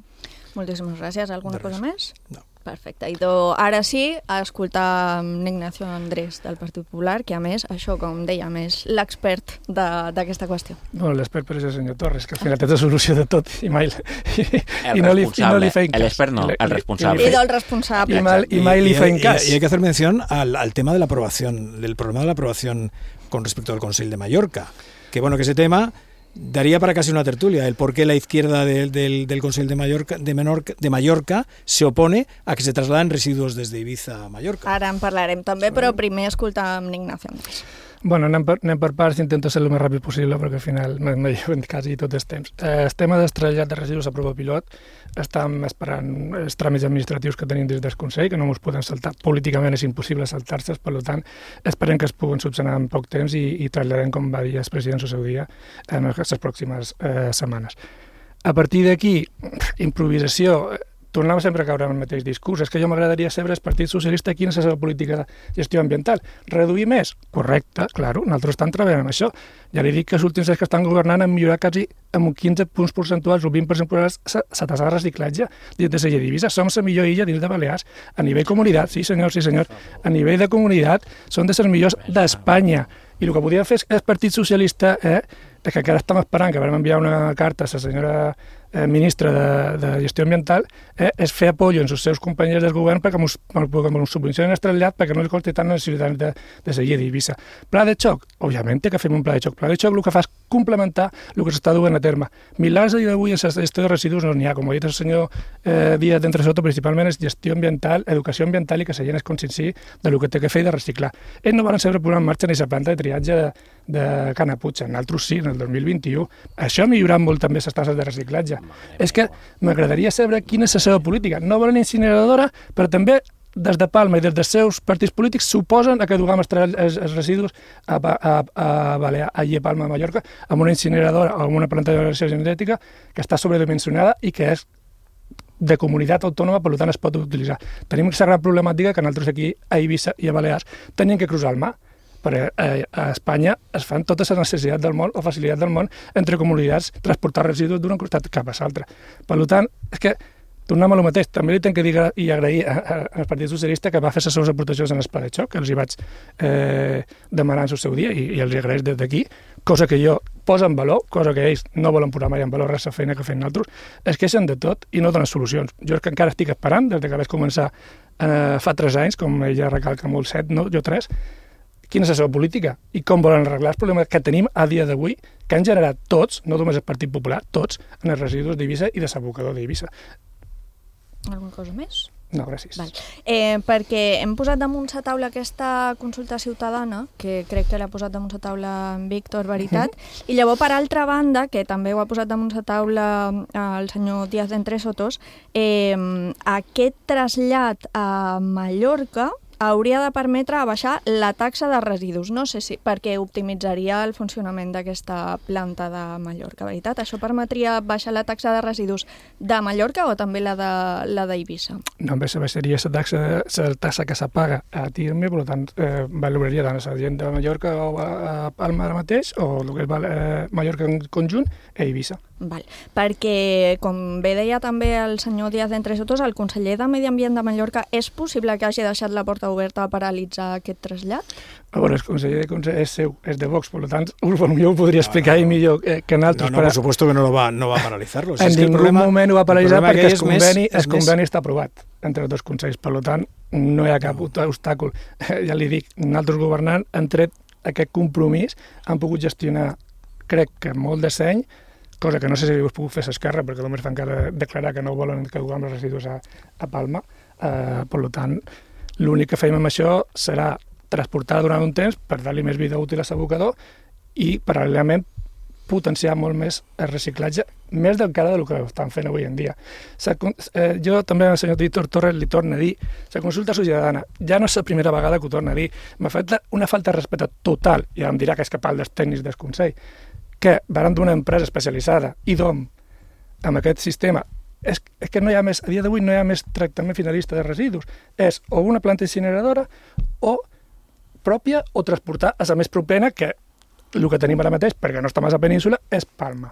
Moltíssimes gràcies. Alguna cosa més? No. Perfecte. I do, ara sí, a escoltar Ignacio Andrés del Partit Popular, que a més, això, com dèiem, és l'expert d'aquesta qüestió. No, l'expert per és el senyor Torres, que al final té la solució de tot i mai... I, el i no li, responsable, i no li feim cas. l'expert no, el responsable. I del responsable. I, mal, i mai li feim cas. Y hay que hacer mención al, al tema de la aprobación, del problema de la aprobación con respecto al Consell de Mallorca. Que bueno, que ese tema daría para casi una tertulia, el por qué la izquierda del, del, del Consell de Mallorca, de, Menorca, de Mallorca se opone a que se trasladen residuos desde Ibiza a Mallorca. Ara en parlarem també, però primer escoltam Ignacio Andrés. Bueno, anem per, anem per parts, intento ser el més ràpid possible perquè al final me lleven quasi tot el temps. Eh, el tema del trasllat de residus a prova pilot, estem esperant els tràmits administratius que tenim des del Consell, que no ens poden saltar, políticament és impossible saltar-se, per tant, esperem que es puguen subsanar en poc temps i, i traslladem, com va dir el president al seu dia, en les pròximes eh, setmanes. A partir d'aquí, improvisació, tornem sempre a caure en el mateix discurs. És que jo m'agradaria saber el Partit Socialista quina és la seva política de gestió ambiental. Reduir més? Correcte, claro, nosaltres estem treballant en això. Ja li dic que els últims anys que estan governant han millorat quasi amb quinze punts percentuals o vint percentuals la tasa de reciclatge dins de la illa d'Eivissa. Som la millor illa dins de Balears. A nivell comunitat, sí senyor, sí senyor, a nivell de comunitat són de les millors d'Espanya. I el que podria fer el Partit Socialista eh, és que encara estem esperant que vam enviar una carta a la senyora eh, ministra de, de Gestió Ambiental, eh, és fer apoyo en els seus companys del govern perquè ens subvencionen el trasllat perquè no els costi tant als ciutadans de, de la illa d'Eivissa. Pla de xoc? Òbviament que fem un pla de xoc. Pla de xoc el que fa és complementar el que s'està duent a terme. Milers a dia d'avui en la gestió de residus no n'hi ha, com ha dit el senyor eh, Díaz d'Entre Soto, principalment és gestió ambiental, educació ambiental i que la gent es conscienciï del que té que fer i de reciclar. Ells no van saber posar en marxa ni la planta de triatge de, de Canaputxa, nosaltres sí, en el dos mil vint-i-u. Això ha millorat molt també les tasses de reciclatge. És que m'agradaria saber quina és la seva política. No volen incineradora, però també des de Palma i des dels seus partits polítics suposen a que duguem els, els, els residus a, a, a Balear, allí a Palma de Mallorca, amb una incineradora o amb una planta de generació genètica que està sobredimensionada i que és de comunitat autònoma, per tant es pot utilitzar. Tenim aquesta gran problemàtica que nosaltres aquí a Eivissa i a Balears tenim que cruzar el mar, perquè a Espanya es fan totes les necessitats del món o facilitats del món entre comunitats transportar residus d'un costat cap a l'altre. Per tant, és que tornem a lo mateix. També li tenc que dir i agrair al Partit Socialista que va fer les seves aportacions en el pla de xoc, que els hi vaig eh, demanar en el seu dia i, i els hi agraeix des d'aquí, cosa que jo poso en valor, cosa que ells no volen posar mai en valor res la feina que fem nosaltres, es queixen de tot i no donen solucions. Jo és que encara estic esperant, des que vaig començar eh, fa tres anys, com ella recalca molt, set, no? Jo tres, quina és la seva política i com volen arreglar els problemes que tenim a dia d'avui, que han generat tots, no només el Partit Popular, tots, en els residus d'Eivissa i de l'abocador d'Eivissa. Alguna cosa més? No, gràcies. Val. Eh, perquè hem posat damunt la taula aquesta consulta ciutadana, que crec que l'ha posat damunt la taula en Víctor, veritat, mm-hmm. i llavors, per altra banda, que també ho ha posat damunt la taula el senyor Díaz d'Entre Sotos, eh, aquest trasllat a Mallorca hauria de permetre baixar la taxa de residus. No sé si perquè optimitzaria el funcionament d'aquesta planta de Mallorca, veritat? Això permetria baixar la taxa de residus de Mallorca o també la de la d'Eivissa? No, bé, baixaria la taxa, la taxa que s'apaga a Tirme, per tant, eh, valoraria tant la gent de Mallorca o a, a Palma ara mateix, o el que és eh, Mallorca en conjunt, a Eivissa. Val. Perquè, com bé deia també el senyor Díaz d'Entre Sotos, el conseller de Medi Ambient de Mallorca, és possible que hagi deixat la porta oberta a paralitzar aquest trasllat? A veure, el conseller de conseller és seu, és de Vox, per tant, jo ho podria explicar no, no. millor eh, que nosaltres. No, no, per supuesto que no, lo va, no va a paralitzar-lo. En ningú problema, moment ho va paralitzar perquè el conveni, més, el conveni més... està aprovat entre els dos consells, per tant, no hi ha cap no. obstàcul. Ja li dic, nosaltres governant hem tret aquest compromís, han pogut gestionar, crec que molt de seny, cosa que no sé si ho has pogut fer a l'esquerra, perquè només fan encara declarar que no volen que duguem els residus a, a Palma. Eh, per tant, l'únic que feim amb això serà transportar durant un temps per dar-li més vida útil a l'abocador i, paral·lelament, potenciar molt més el reciclatge, més encara del que estan fent avui en dia. Eh, jo també al senyor Víctor Torres li torno a dir, la consulta ciutadana ja no és la primera vegada que ho torno a dir, m'ha fet una falta de respecte total, i em dirà que és cap dels tècnics del Consell, que van d'una empresa especialitzada, I D O M, amb aquest sistema, és, és que no hi ha més, a dia d'avui no hi ha més tractament finalista de residus. És o una planta incineradora o pròpia o transportar a la més propera, que el que tenim ara mateix, perquè no està més a península, és Palma.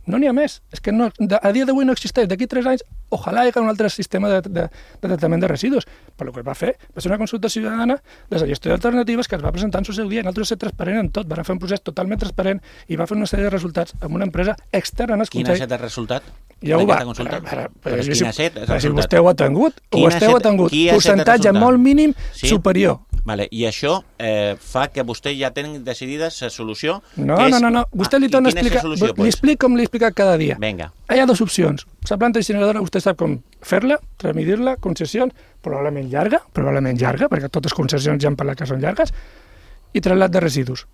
No n'hi ha més. És que no, a dia d'avui no existeix. D'aquí tres anys, ojalà hi hagi un altre sistema de, de, de tractament de residus. Però el que es va fer va ser una consulta ciutadana de la gestió d'alternatives que es va presentar en el seu dia. Nosaltres ser transparent en tot. Van fer un procés totalment transparent i va fer una sèrie de resultats amb una empresa externa en el Consell. Quin ha estat el resultat? Ja ho va. Consulta? Però, però, si, quin ha estat el resultat? Si vostè ho ha tingut, ho esteu ha tingut. Percentatge molt mínim sí? superior. Vale. I això eh, fa que vostè ja tingui decidida la solució? No, que és... no, no, no. Vostè li torna a explicar. Solució, li explico com li he explicat cada dia. Vinga. Hi ha dues opcions. La planta incineradora, vostè sap com fer-la, transmitir-la, concessions, probablement llarga, probablement llarga, perquè totes les concessions ja han parlat que són llargues, i trasllat de residus.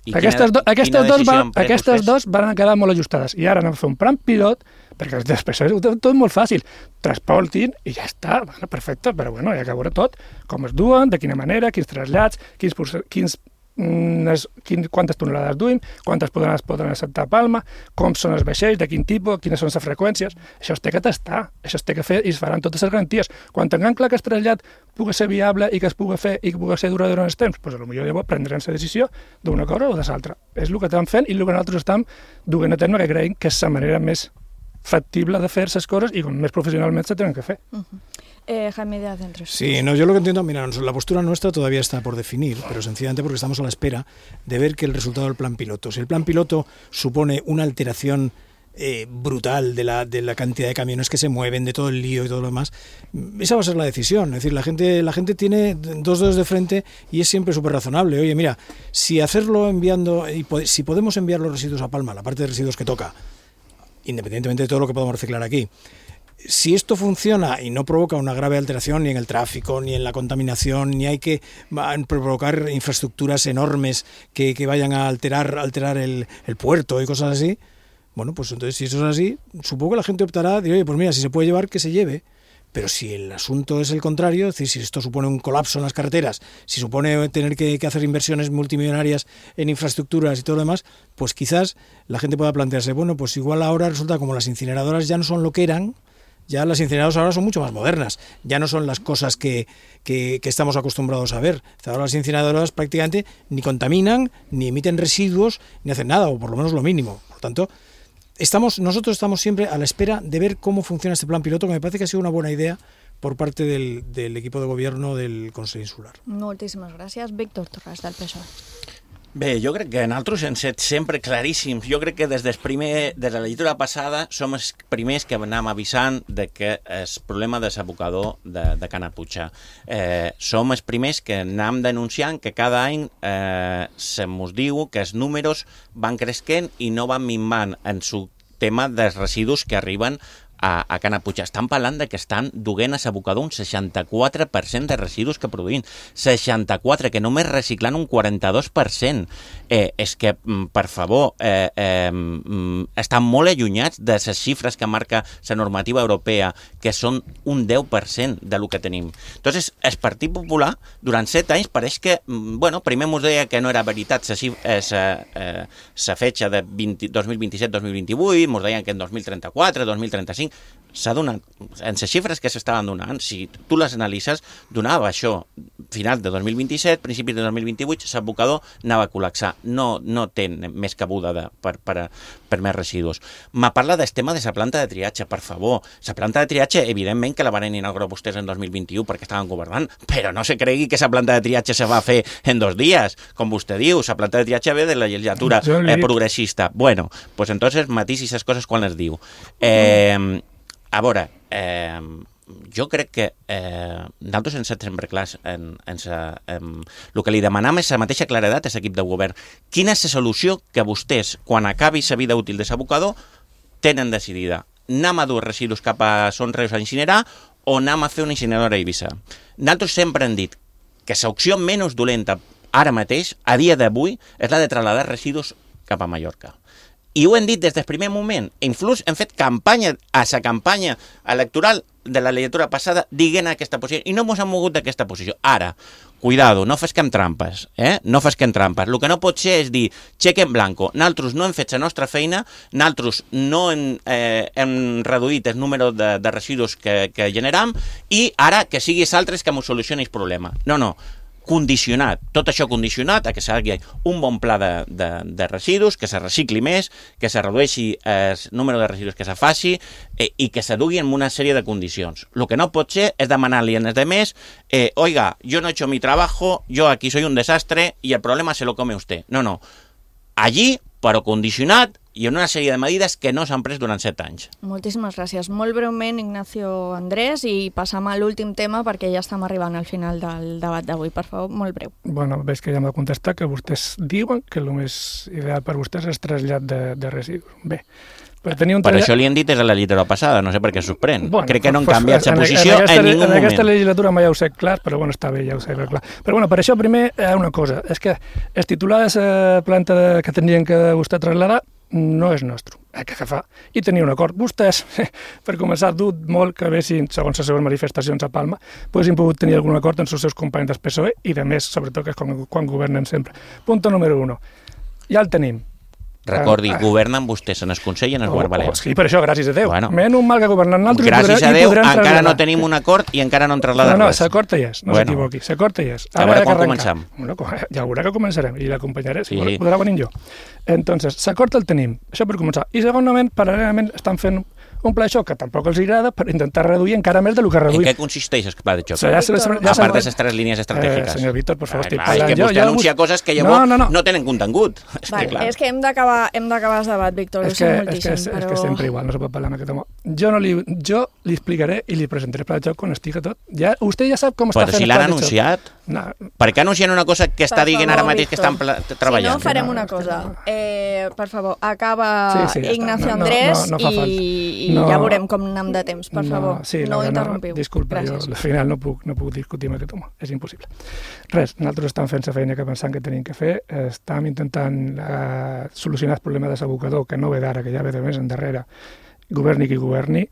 I aquestes quina, do, aquestes, dos van, aquestes vostès? dos van quedar molt ajustades. I ara anem a fer un plan pilot, perquè després és tot molt fàcil. Transportin i ja està. Bueno, perfecte, però bueno, hi ha que veure tot. Com es duen, de quina manera, quins trasllats, quins, quins, quins, quins, quantes tonelades duim, quantes poden, es poden acceptar a Palma, com són els vaixells, de quin tipus, quines són les freqüències. Això es té que testar, això es té que fer i es faran totes les garanties. Quan tinguem clar que el trasllat pugui ser viable i que es pugui fer i que pugui ser durador durant els temps, doncs potser llavors prendrem la decisió d'una cosa o de l'altra. És el que estem fent i el que nosaltres estem duent a terme, que creiem que és la manera més factible de fer les coses i com més profesionalment se tenen que fer. Uh-huh. eh, Jaime Díaz d'Entre Sotos. Sí, no, yo lo que entiendo, mira, la postura nuestra todavía está por definir, pero sencillamente porque estamos a la espera de ver que el resultado del plan piloto. Si el plan piloto supone una alteración eh, brutal de la, de la cantidad de camiones que se mueven, de todo el lío y todo lo demás, esa va a ser la decisión. Es decir, la gente, la gente tiene dos dedos de frente y es siempre súper razonable. Oye, mira, si hacerlo enviando, y po- si podemos enviar los residuos a Palma, la parte de residuos que toca, independientemente de todo lo que podamos reciclar aquí, si esto funciona y no provoca una grave alteración ni en el tráfico, ni en la contaminación, ni hay que provocar infraestructuras enormes que, que vayan a alterar, alterar el, el puerto y cosas así, bueno, pues entonces si eso es así, supongo que la gente optará de, oye, pues mira, si se puede llevar, que se lleve. Pero si el asunto es el contrario, es decir, si esto supone un colapso en las carreteras, si supone tener que, que hacer inversiones multimillonarias en infraestructuras y todo lo demás, pues quizás la gente pueda plantearse, bueno, pues igual ahora resulta como las incineradoras ya no son lo que eran. Ya las incineradoras ahora son mucho más modernas, ya no son las cosas que, que, que estamos acostumbrados a ver. Ahora las incineradoras prácticamente ni contaminan, ni emiten residuos, ni hacen nada, o por lo menos lo mínimo. Por lo tanto, estamos, nosotros estamos siempre a la espera de ver cómo funciona este plan piloto, que me parece que ha sido una buena idea por parte del, del equipo de gobierno del Consell Insular. Moltíssimes gràcies. Víctor Torres, del P S O E. Bé, jo crec que nosaltres hem set sempre claríssims. Jo crec que des, del primer, des de la legislatura passada som els primers que anem avisant de que el problema de l'abocador de, de Canaputxa. Eh, som els primers que anem denunciant que cada any eh, se mos diu que els números van creixent i no van minvant en el tema dels residus que arriben a, a Canaputxa. Estan parlant de que estan duent a l'abocador un seixanta-quatre per cent de residus que produïm. seixanta-quatre, que només reciclant un quaranta-dos per cent. Eh, és que, per favor, eh, eh, estan molt allunyats de les xifres que marca la normativa europea, que són un deu per cent de lo que tenim. Entonces, el Partit Popular, durant set anys, pareix que, bueno, primer ens deia que no era veritat la fetxa de dos mil vint-i-set dos mil vint-i-vuit, ens deien que en dos mil trenta-quatre, dos mil trenta-cinc, s'ha donat, en les xifres que s'estaven donant, si tu les analitzes, donava això, final de dos mil vint-i-set, principis de dos mil vint-i-vuit, l'abocador anava a col·lapsar. No, no té més cabuda de, per, per, per més residus. M'ha parlat del tema de la planta de triatge, per favor. La planta de triatge, evidentment que la van inaugurar vostès en dos mil vint-i-u perquè estaven governant, però no se cregui que la planta de triatge se va fer en dos dies, com vostè diu. La planta de triatge ve de la legislatura eh, progressista. Bueno, pues entonces matisi les coses quan les diu. Eh, a veure, eh, jo crec que eh, nosaltres ens hem sempre clars en, en, sa, en el que li demanam és la mateixa claredat a l'equip de govern. Quina és la solució que vostès, quan acabi la vida útil de l'abocador, tenen decidida? Anem a dur residus cap a Son Reus a incinerar o anem a fer una incineradora a Eivissa? Nosaltres sempre hem dit que l'opció menys dolenta ara mateix, a dia d'avui, és la de trasladar residus cap a Mallorca. I ho hem dit des del primer moment. Inclús hem fet campanya, a la campanya electoral de la legislatura passada, dient aquesta posició, i no ens hem mogut d'aquesta posició. Ara, cuidado, no fesquem trampes, eh? No fesquem trampes. El que no pot ser és dir, xeque en blanco, nosaltres no hem fet la nostra feina, nosaltres no hem, eh, hem reduït el número de, de residus que, que generam, i ara que sigui altres que ens solucioni el problema. No, no. Condicionat, tot això condicionat a que s'hagi un bon pla de, de, de residus, que se recicli més, que se redueixi el número de residus que se faci eh, i que se dugui en una sèrie de condicions. El que no pot ser és demanar-li als demés eh, oiga, yo no he hecho mi trabajo, yo aquí soy un desastre y el problema se lo come usted. No, no. Allí, però condicionat i en una sèrie de medides que no s'han pres durant set anys. Moltíssimes gràcies. Molt breument, Ignacio Andrés, i passam a l'últim tema perquè ja estem arribant al final del debat d'avui. Per favor, molt breu. Bueno, veig que ja m'ha contestat que vostès diuen que el més ideal per vostès és trasllat de, de residus. Bé, per tenir un Per trasllat... això li han dit des de la legislatura passada, no sé per què sorprèn. Bueno, Crec que no han pues, canviat la en, posició en, aquesta, en ningú en moment. En aquesta legislatura mai ja ho sé clar, però bueno, està bé, ja ho sé clar. Però bueno, per això primer hi ha una cosa, és que el titular de la planta que tenien que vostè traslladar no és nostre, el que fa, i tenia un acord. Vostès, per començar, dut molt que haguessin, segons les seves manifestacions a Palma, haguessin pogut tenir algun acord amb els seus companys del P S O E i, de més, sobretot, que és quan, quan governen sempre. Punto número uno. Ja el tenim. Recordi, Ah, ah. governen vostès en el Consell i en el Govern Oh, Balear. oh, sí, per això, gràcies a Déu. Bueno. Menys mal que governen nosaltres Gràcies i a Déu, podrem encara traslladar. no tenim un acord i encara no hem trasladat No, no, res. l'acord hi és, no Bueno. s'equivoqui, l'acord hi és. A veure ha que quan arrencar. comencem. Bueno, ja veurà que començarem i l'acompanyaré, si Sí. podrà venir jo. Entonces, l'acord el tenim, això per començar. I segurament, paral·lelament, estan fent un pla de xoc que tampoc els agrada per intentar reduir encara més del que reduïm. En què consisteix el pla de xoc? O sea, ja se, ja a part de les tres línies estratègiques. Eh, senyor Víctor, per favor, ah, estic clar, parlant. És que vostè jo, anuncia jo... coses que llavors no, no, no. no tenen contingut. És Vale, que, clar. és que hem d'acabar hem d'acabar el debat, Víctor, és ho que, sé és, moltíssim, que és, però... és que sempre igual, no se pot parlar amb aquest home. Jo, no li, jo li explicaré i li presentaré el pla de xoc quan estigui tot. Ja, vostè ja sap com Però està fent si el l'han pla de xoc. anunciat, No. per què anuncien una cosa que està Per dient favor, ara mateix que Víctor. estan pla- treballant? Si no, farem una cosa. Eh, per favor, acaba Sí, sí, ja Ignacio està. No, no, Andrés no, no fa i, falta. i No. ja veurem com anem de temps. Per favor, sí, no la- interrompiu. Disculpa, Gràcies. jo al final no puc, no puc discutir amb aquest home, és impossible. Res, nosaltres estem fent la feina que pensam que tenim que fer, estem intentant eh, solucionar el problema de l'abocador, que no ve d'ara, que ja ve de més endarrere, governi qui governi,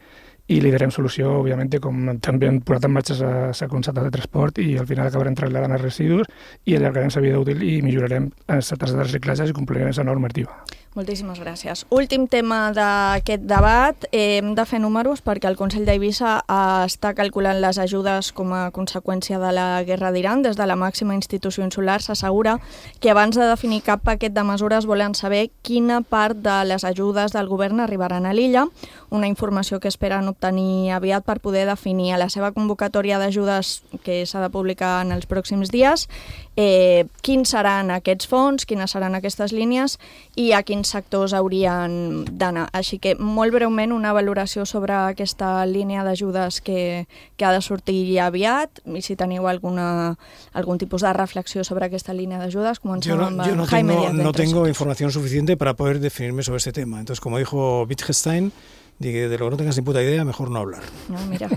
i li darem solució, òbviament, com també hem posat en marxa la concepte de transport i al final acabarem trasladant els residus i allargarem la vida útil i millorarem les tasses de reciclatge i complirem la normativa. Moltíssimes gràcies. Últim tema d'aquest debat. Eh, hem de fer números perquè el Consell d'Eivissa eh, està calculant les ajudes com a conseqüència de la guerra d'Iran. Des de la màxima institució insular s'assegura que abans de definir cap paquet de mesures volen saber quina part de les ajudes del govern arribaran a l'illa, una informació que esperen obtenir aviat per poder definir a la seva convocatòria d'ajudes que s'ha de publicar en els pròxims dies eh, quins seran aquests fons, quines seran aquestes línies i a quins sectors haurien d'anar. Així que, molt breument, una valoració sobre aquesta línia d'ajudes que, que ha de sortir aviat i si teniu alguna, algun tipus de reflexió sobre aquesta línia d'ajudes, comencem Yo no, amb yo no Jaime tengo, Díaz de no Entre tengo Sotos. información suficiente para poder definirme sobre este tema. Entonces, como dijo Wittgenstein, de lo que no tengas ni puta idea, mejor no hablar. No, mira,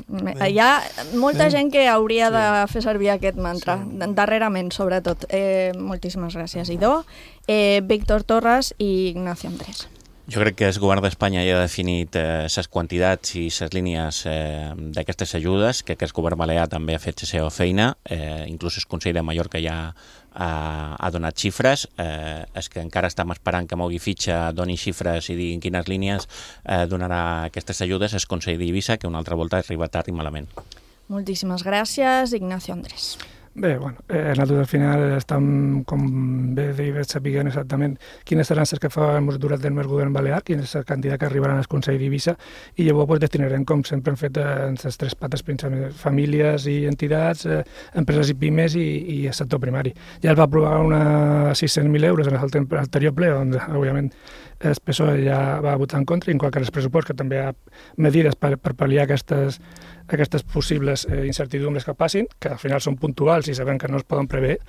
hi ha molta Eh? gent que hauria de fer servir aquest mantra, darrerament, sobretot. Eh, moltíssimes gràcies, Idó. Eh, Víctor Torres i Ignacio Andrés. Jo crec que el govern d'Espanya ja ha definit les eh, quantitats i les línies eh, d'aquestes ajudes, que el govern balear també ha fet la seva feina, eh, inclús el Consell de Mallorca ja ha, ha donat xifres, eh, és que encara estem esperant que mogui fitxa, doni xifres i diguin quines línies eh, donarà aquestes ajudes el Consell d'Eivissa, que una altra volta arriba tard i malament. Moltíssimes gràcies, Ignacio Andrés. Bé, bueno, eh, nosaltres al final estem, com bé deia, sapiguent exactament quines seran les que farem durant el mes govern balear, quina és la quantitat que arribaran al Consell d'Eivissa, i llavors pues, destinarem, com sempre hem fet, en les tres pates principals, famílies i entitats, eh, empreses i pimes i, i el sector primari. Ja es va aprovar una sis-cents mil euros en l'anterior ple, on, òbviament, el P S O E ja va votar en contra, igual que el pressupost, que també hi ha mesures per, per pal·liar aquestes, aquestes possibles eh, incertidumbres que passin, que al final són puntuals i sabem que no es poden prever.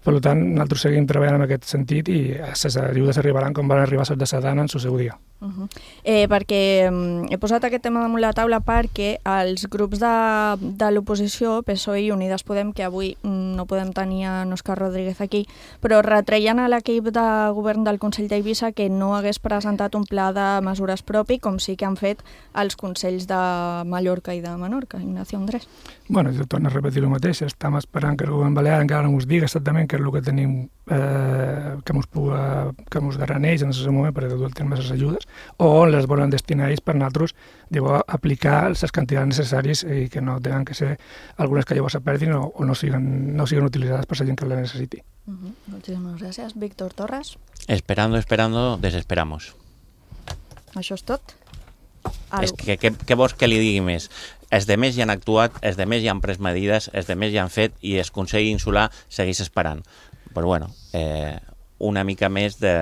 Per tant, nosaltres seguim treballant en aquest sentit i les ajudes arribaran com van arribar les de Sedana en el seu dia. Uh -huh. eh, perquè um, he posat aquest tema damunt la taula perquè els grups de, de l'oposició, P S O E i Unides Podem, que avui no podem tenir en Òscar Rodríguez aquí, però retreien a l'equip de govern del Consell d'Eivissa que no hagués presentat un pla de mesures propi, com sí que han fet els Consells de Mallorca i de Menorca. Ignacio Andrés. Bueno, jo torno a repetir el mateix, estem esperant que el govern balear encara no ens digui exactament què és el que tenim eh, que ens puga, que ens daran ells en aquest moment per dur el terme de les ajudes, o on les volen destinar ells per nosaltres llavors, aplicar les quantitats necessàries i que no tenen que ser algunes que llavors se perdin o, o no, siguen, no siguen utilitzades per la gent que les necessiti. Uh -huh. Moltíssimes gràcies. Víctor Torres. Esperando, esperando, desesperamos. Això és tot? És que, que, què vols que li digui més? Els de més ja han actuat, els de més ja han pres medides, els de més ja han fet i el Consell Insular segueix esperant. Però bueno, eh, una mica més de,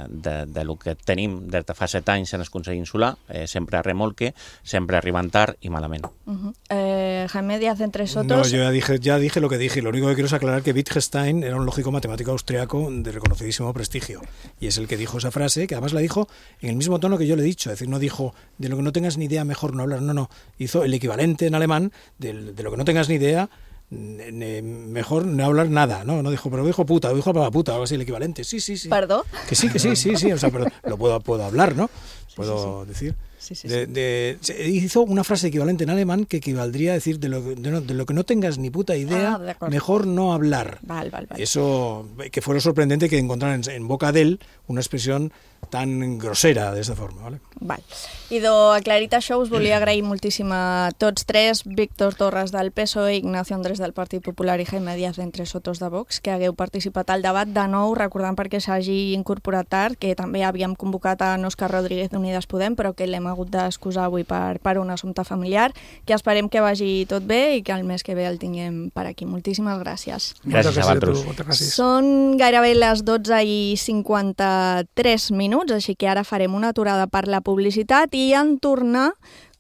de, de lo que tenim des de fa set anys en el Consell Insular, eh, sempre a remolque, sempre arribant tard i malament. Uh -huh. eh, Jaime Díaz de Entre Sotos. No, yo ya dije, ya dije lo que dije. Lo único que quiero es aclarar que Wittgenstein era un lógico matemático austriaco de reconocidísimo prestigio. Y es el que dijo esa frase, que además la dijo en el mismo tono que yo le he dicho. Es decir, no dijo, de lo que no tengas ni idea, mejor no hablar. No, no. Hizo el equivalente en alemán de, de lo que no tengas ni idea, mejor no hablar nada, ¿no? No dijo, pero dijo puta, dijo para puta, algo así, el equivalente. Sí, sí, sí. ¿Perdón? Que sí, que sí, sí, sí. O sea, pero lo puedo, puedo hablar, ¿no? Puedo sí, sí, sí. decir. Sí, sí, de, sí. De, hizo una frase equivalente en alemán que equivaldría a decir de lo, de, no, de lo que no tengas ni puta idea, ah, mejor no hablar. Val, val, val. Eso, que fue lo sorprendente que encontraran en, en boca de él una expresión tan grosera de esta forma, ¿vale? Val. Idò, aclarit això, us volia agrair moltíssim a tots tres, Víctor Torres del P S O E, Ignacio Andrés del Partit Popular i Jaime Díaz d'Entre Sotos de Vox, que hagueu participat al debat. De nou, recordant perquè s'hagi incorporat tard, que també havíem convocat a Òscar Rodríguez d'Unides Podem, però que l'hem hagut hagut d'excusar avui per, per un assumpte familiar, que esperem que vagi tot bé i que el mes que ve el tinguem per aquí. Moltíssimes gràcies. Gràcies a vosaltres. Són gairebé les dotze i cinquanta-tres minuts, així que ara farem una aturada per la publicitat i en tornar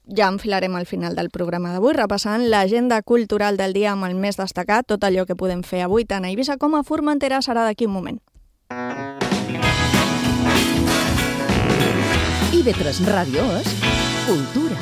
ja enfilarem al final del programa d'avui, repassant l'agenda cultural del dia amb el més destacat, tot allò que podem fer avui tant a Eivissa com a Formentera serà d'aquí un moment. I B tres Ràdio és cultura.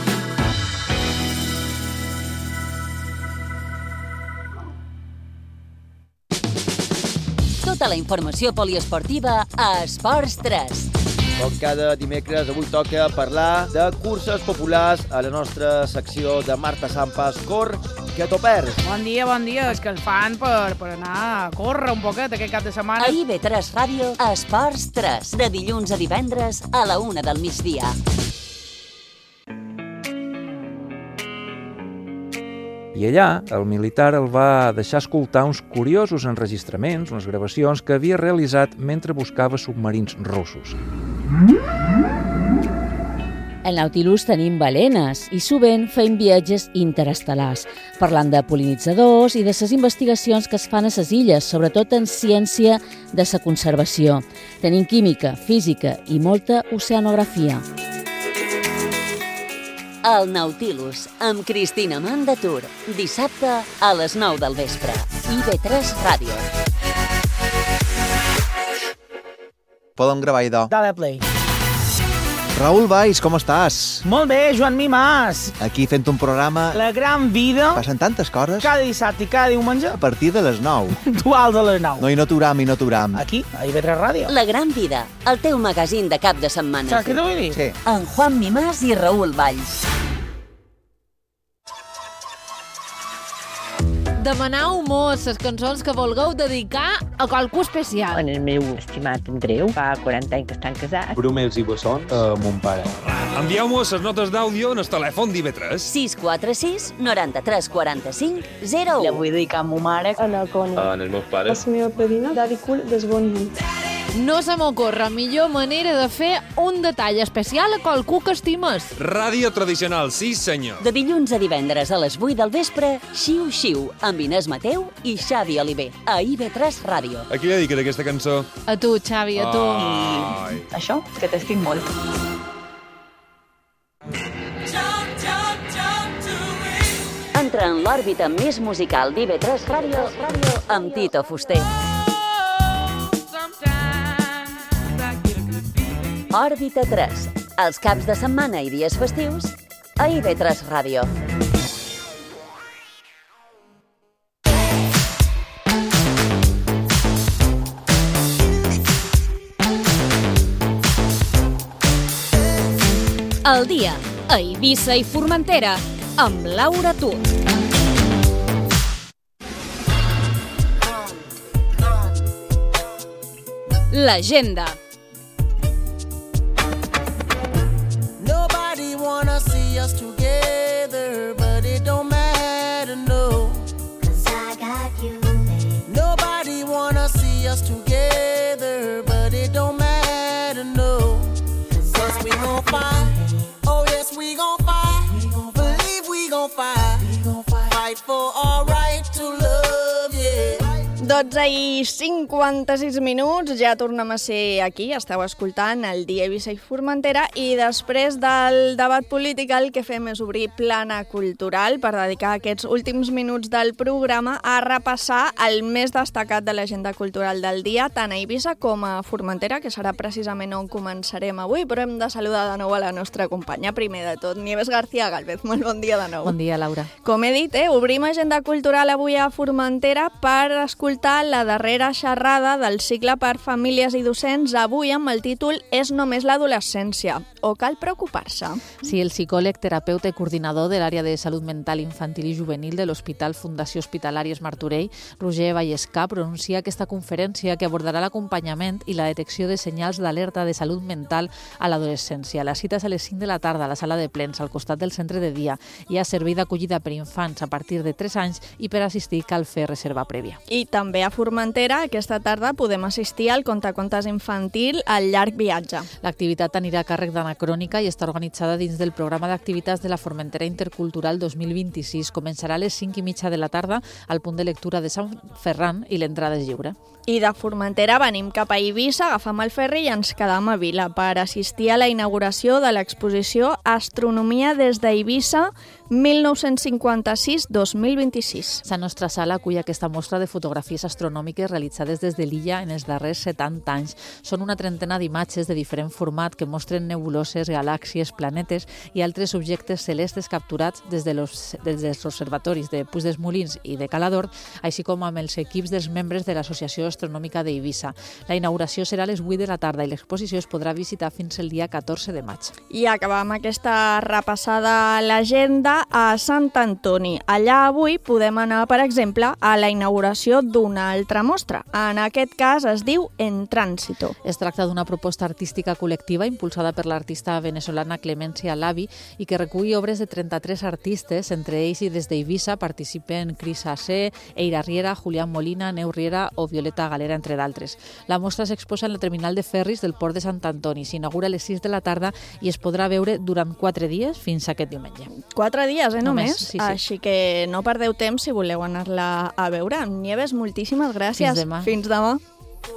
Tota la informació poliesportiva a Esports tres. Com cada dimecres, avui toca parlar de curses populars a la nostra secció de Marta Sampas, Cor, que t'ho perds. Bon dia, bon dia. És que el fan per, per anar a córrer un poquet aquest cap de setmana. A I B tres Ràdio, Esports tres, de dilluns a divendres a la una del migdia. I allà, el militar el va deixar escoltar uns curiosos enregistraments, unes gravacions que havia realitzat mentre buscava submarins russos. Al Nautilus tenim balenes i sovint fem viatges interestel·lars, parlant de pol·linitzadors i de les investigacions que es fan a les illes, sobretot en ciència de la conservació. Tenim química, física i molta oceanografia. El Nautilus, amb Cristina Mandatur, dissabte a les nou del vespre. I B tres Ràdio. Podem gravar, idò. Dale play. Raül Valls, com estàs? Molt bé, Joan Mimàs. Aquí fent un programa... La gran vida. Passen tantes coses. Cada dissabte i cada diumenge. A partir de les nou. Puntuals a les nou. No, i no t'uram, i no t'uram. Aquí, a I B tres Ràdio. La gran vida, el teu magazín de cap de setmana. Saps què t'ho vull dir? Sí. En Juan Mimàs i Raül Valls. Demanau mos les cançons que vulgueu dedicar a qualcú especial. En el meu estimat Andreu, fa quaranta anys que estan casats. Brumels i bessons a mon pare. Envieu-mos les notes d'àudio en el telèfon d'I B tres. sis quatre sis, noranta-tres, quaranta-cinc, zero u. La vull dedicar a ma mare. A la Connie. En els meus pares. A la meva padrina, Daddy Cool, des Bonny. No se m'ocorre millor manera de fer un detall especial a qualcú que estimes. Ràdio tradicional, sí senyor. De dilluns a divendres a les vuit del vespre, Xiu Xiu, amb Inés Mateu i Xavi Oliver, a I B tres Ràdio. A qui li dediques aquesta cançó? A tu, Xavi, a tu. Ai. I això, que t'estic molt. Entra en l'òrbita més musical d'I B tres Ràdio amb Tito Fuster. Òrbita tres, els caps de setmana i dies festius, a I B tres Ràdio. El dia, a Eivissa i Formentera, amb Laura Tur. L'agenda. Nobody wanna see us together, but it don't matter, no. 'Cause I got you, babe. Nobody wanna see us together, but it don't matter, no. 'Cause we gon' fight, oh yes we gon' fight, believe we gon' fight, fight for our right to love, yeah. dotze i cinquanta-sis minuts, ja tornem a ser aquí, esteu escoltant el dia Eivissa i Formentera i després del debat polític el que fem és obrir plana cultural per dedicar aquests últims minuts del programa a repassar el més destacat de l'agenda cultural del dia, tant a Eivissa com a Formentera, que serà precisament on començarem avui, però hem de saludar de nou a la nostra companya. Primer de tot, Nieves García Gálvez, molt bon dia de nou. Bon dia, Laura. Com he dit, eh, obrim agenda cultural avui a Formentera per escoltar la darrera xerrada del cicle per famílies i docents, avui amb el títol És només l'adolescència, o cal preocupar-se? Sí, el psicòleg, terapeuta i coordinador de l'àrea de salut mental infantil i juvenil de l'Hospital Fundació Hospitalàries Martorell, Roger Vallescà, pronuncia aquesta conferència que abordarà l'acompanyament i la detecció de senyals d'alerta de salut mental a l'adolescència. La cita és a les cinc de la tarda a la sala de plens, al costat del centre de dia. Hi ha servei d'acollida per infants a partir de tres anys i per assistir cal fer reserva prèvia. I també també a Formentera, aquesta tarda podem assistir al contacontes infantil al llarg viatge. L'activitat anirà a càrrec d'Anacrònica i està organitzada dins del programa d'activitats de la Formentera Intercultural dos mil vint-i-sis. Començarà a les cinc i mitja de la tarda al punt de lectura de Sant Ferran i l'entrada és lliure. I de Formentera venim cap a Eivissa, agafam el ferri i ens quedam a Vila per assistir a la inauguració de l'exposició Astronomia des d'Eivissa mil nou-cents cinquanta-sis dos mil vint-i-sis. La nostra sala acull aquesta mostra de fotografies astronòmiques realitzades des de l'illa en els darrers setanta anys. Són una trentena d'imatges de diferent format que mostren nebuloses, galàxies, planetes i altres objectes celestes capturats des, de los, des dels observatoris de Puig dels Molins i de Calador, així com amb els equips dels membres de l'Associació Astronòmica d'Eivissa. La inauguració serà a les vuit de la tarda i l'exposició es podrà visitar fins el dia catorze de maig. I acabam aquesta repassada a l'agenda a Sant Antoni. Allà avui podem anar, per exemple, a la inauguració d'una altra mostra. En aquest cas es diu En Tránsito. Es tracta d'una proposta artística col·lectiva impulsada per l'artista venezolana Clemencia Lavi i que recull obres de trenta-tres artistes, entre ells i des d'Eivissa participen Cris Assé, Eira Riera, Julián Molina, Neu Riera o Violeta Galera, entre d'altres. La mostra s'exposa en la terminal de ferris del port de Sant Antoni. S'inaugura a les sis de la tarda i es podrà veure durant quatre dies fins aquest diumenge. Quatre dies, eh, només? només sí, sí. Així que no perdeu temps si voleu anar-la a veure. Nieves, moltíssimes gràcies. Fins demà. Fins demà.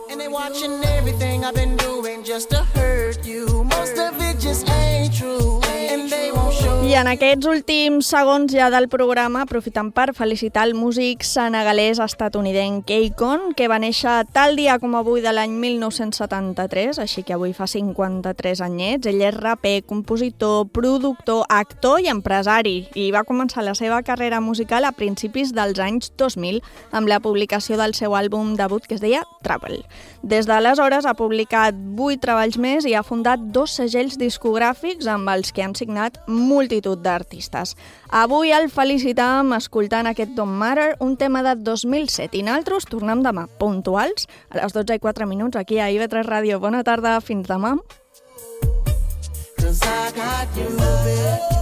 And they watching everything I've been doing just to hurt you. Most of it just ain't true. And they won't show. I en aquests últims segons ja del programa, aprofitant per felicitar el músic senegalès estatunidenc Akon, que va néixer tal dia com avui de l'any mil nou-cents setanta-tres, així que avui fa cinquanta-tres anyets. Ell és raper, compositor, productor, actor i empresari, i va començar la seva carrera musical a principis dels anys dos mil amb la publicació del seu àlbum debut que es deia Travel. Des d'aleshores ha publicat vuit treballs més i ha fundat dos segells discogràfics amb els que han signat multitud d'artistes. Avui el felicitam escoltant aquest Don't Matter, un tema de dos mil set, i nosaltres tornem demà, puntuals, a les dotze i quatre minuts, aquí a I V tres Ràdio. Bona tarda, fins demà. 'Cause I got you, baby.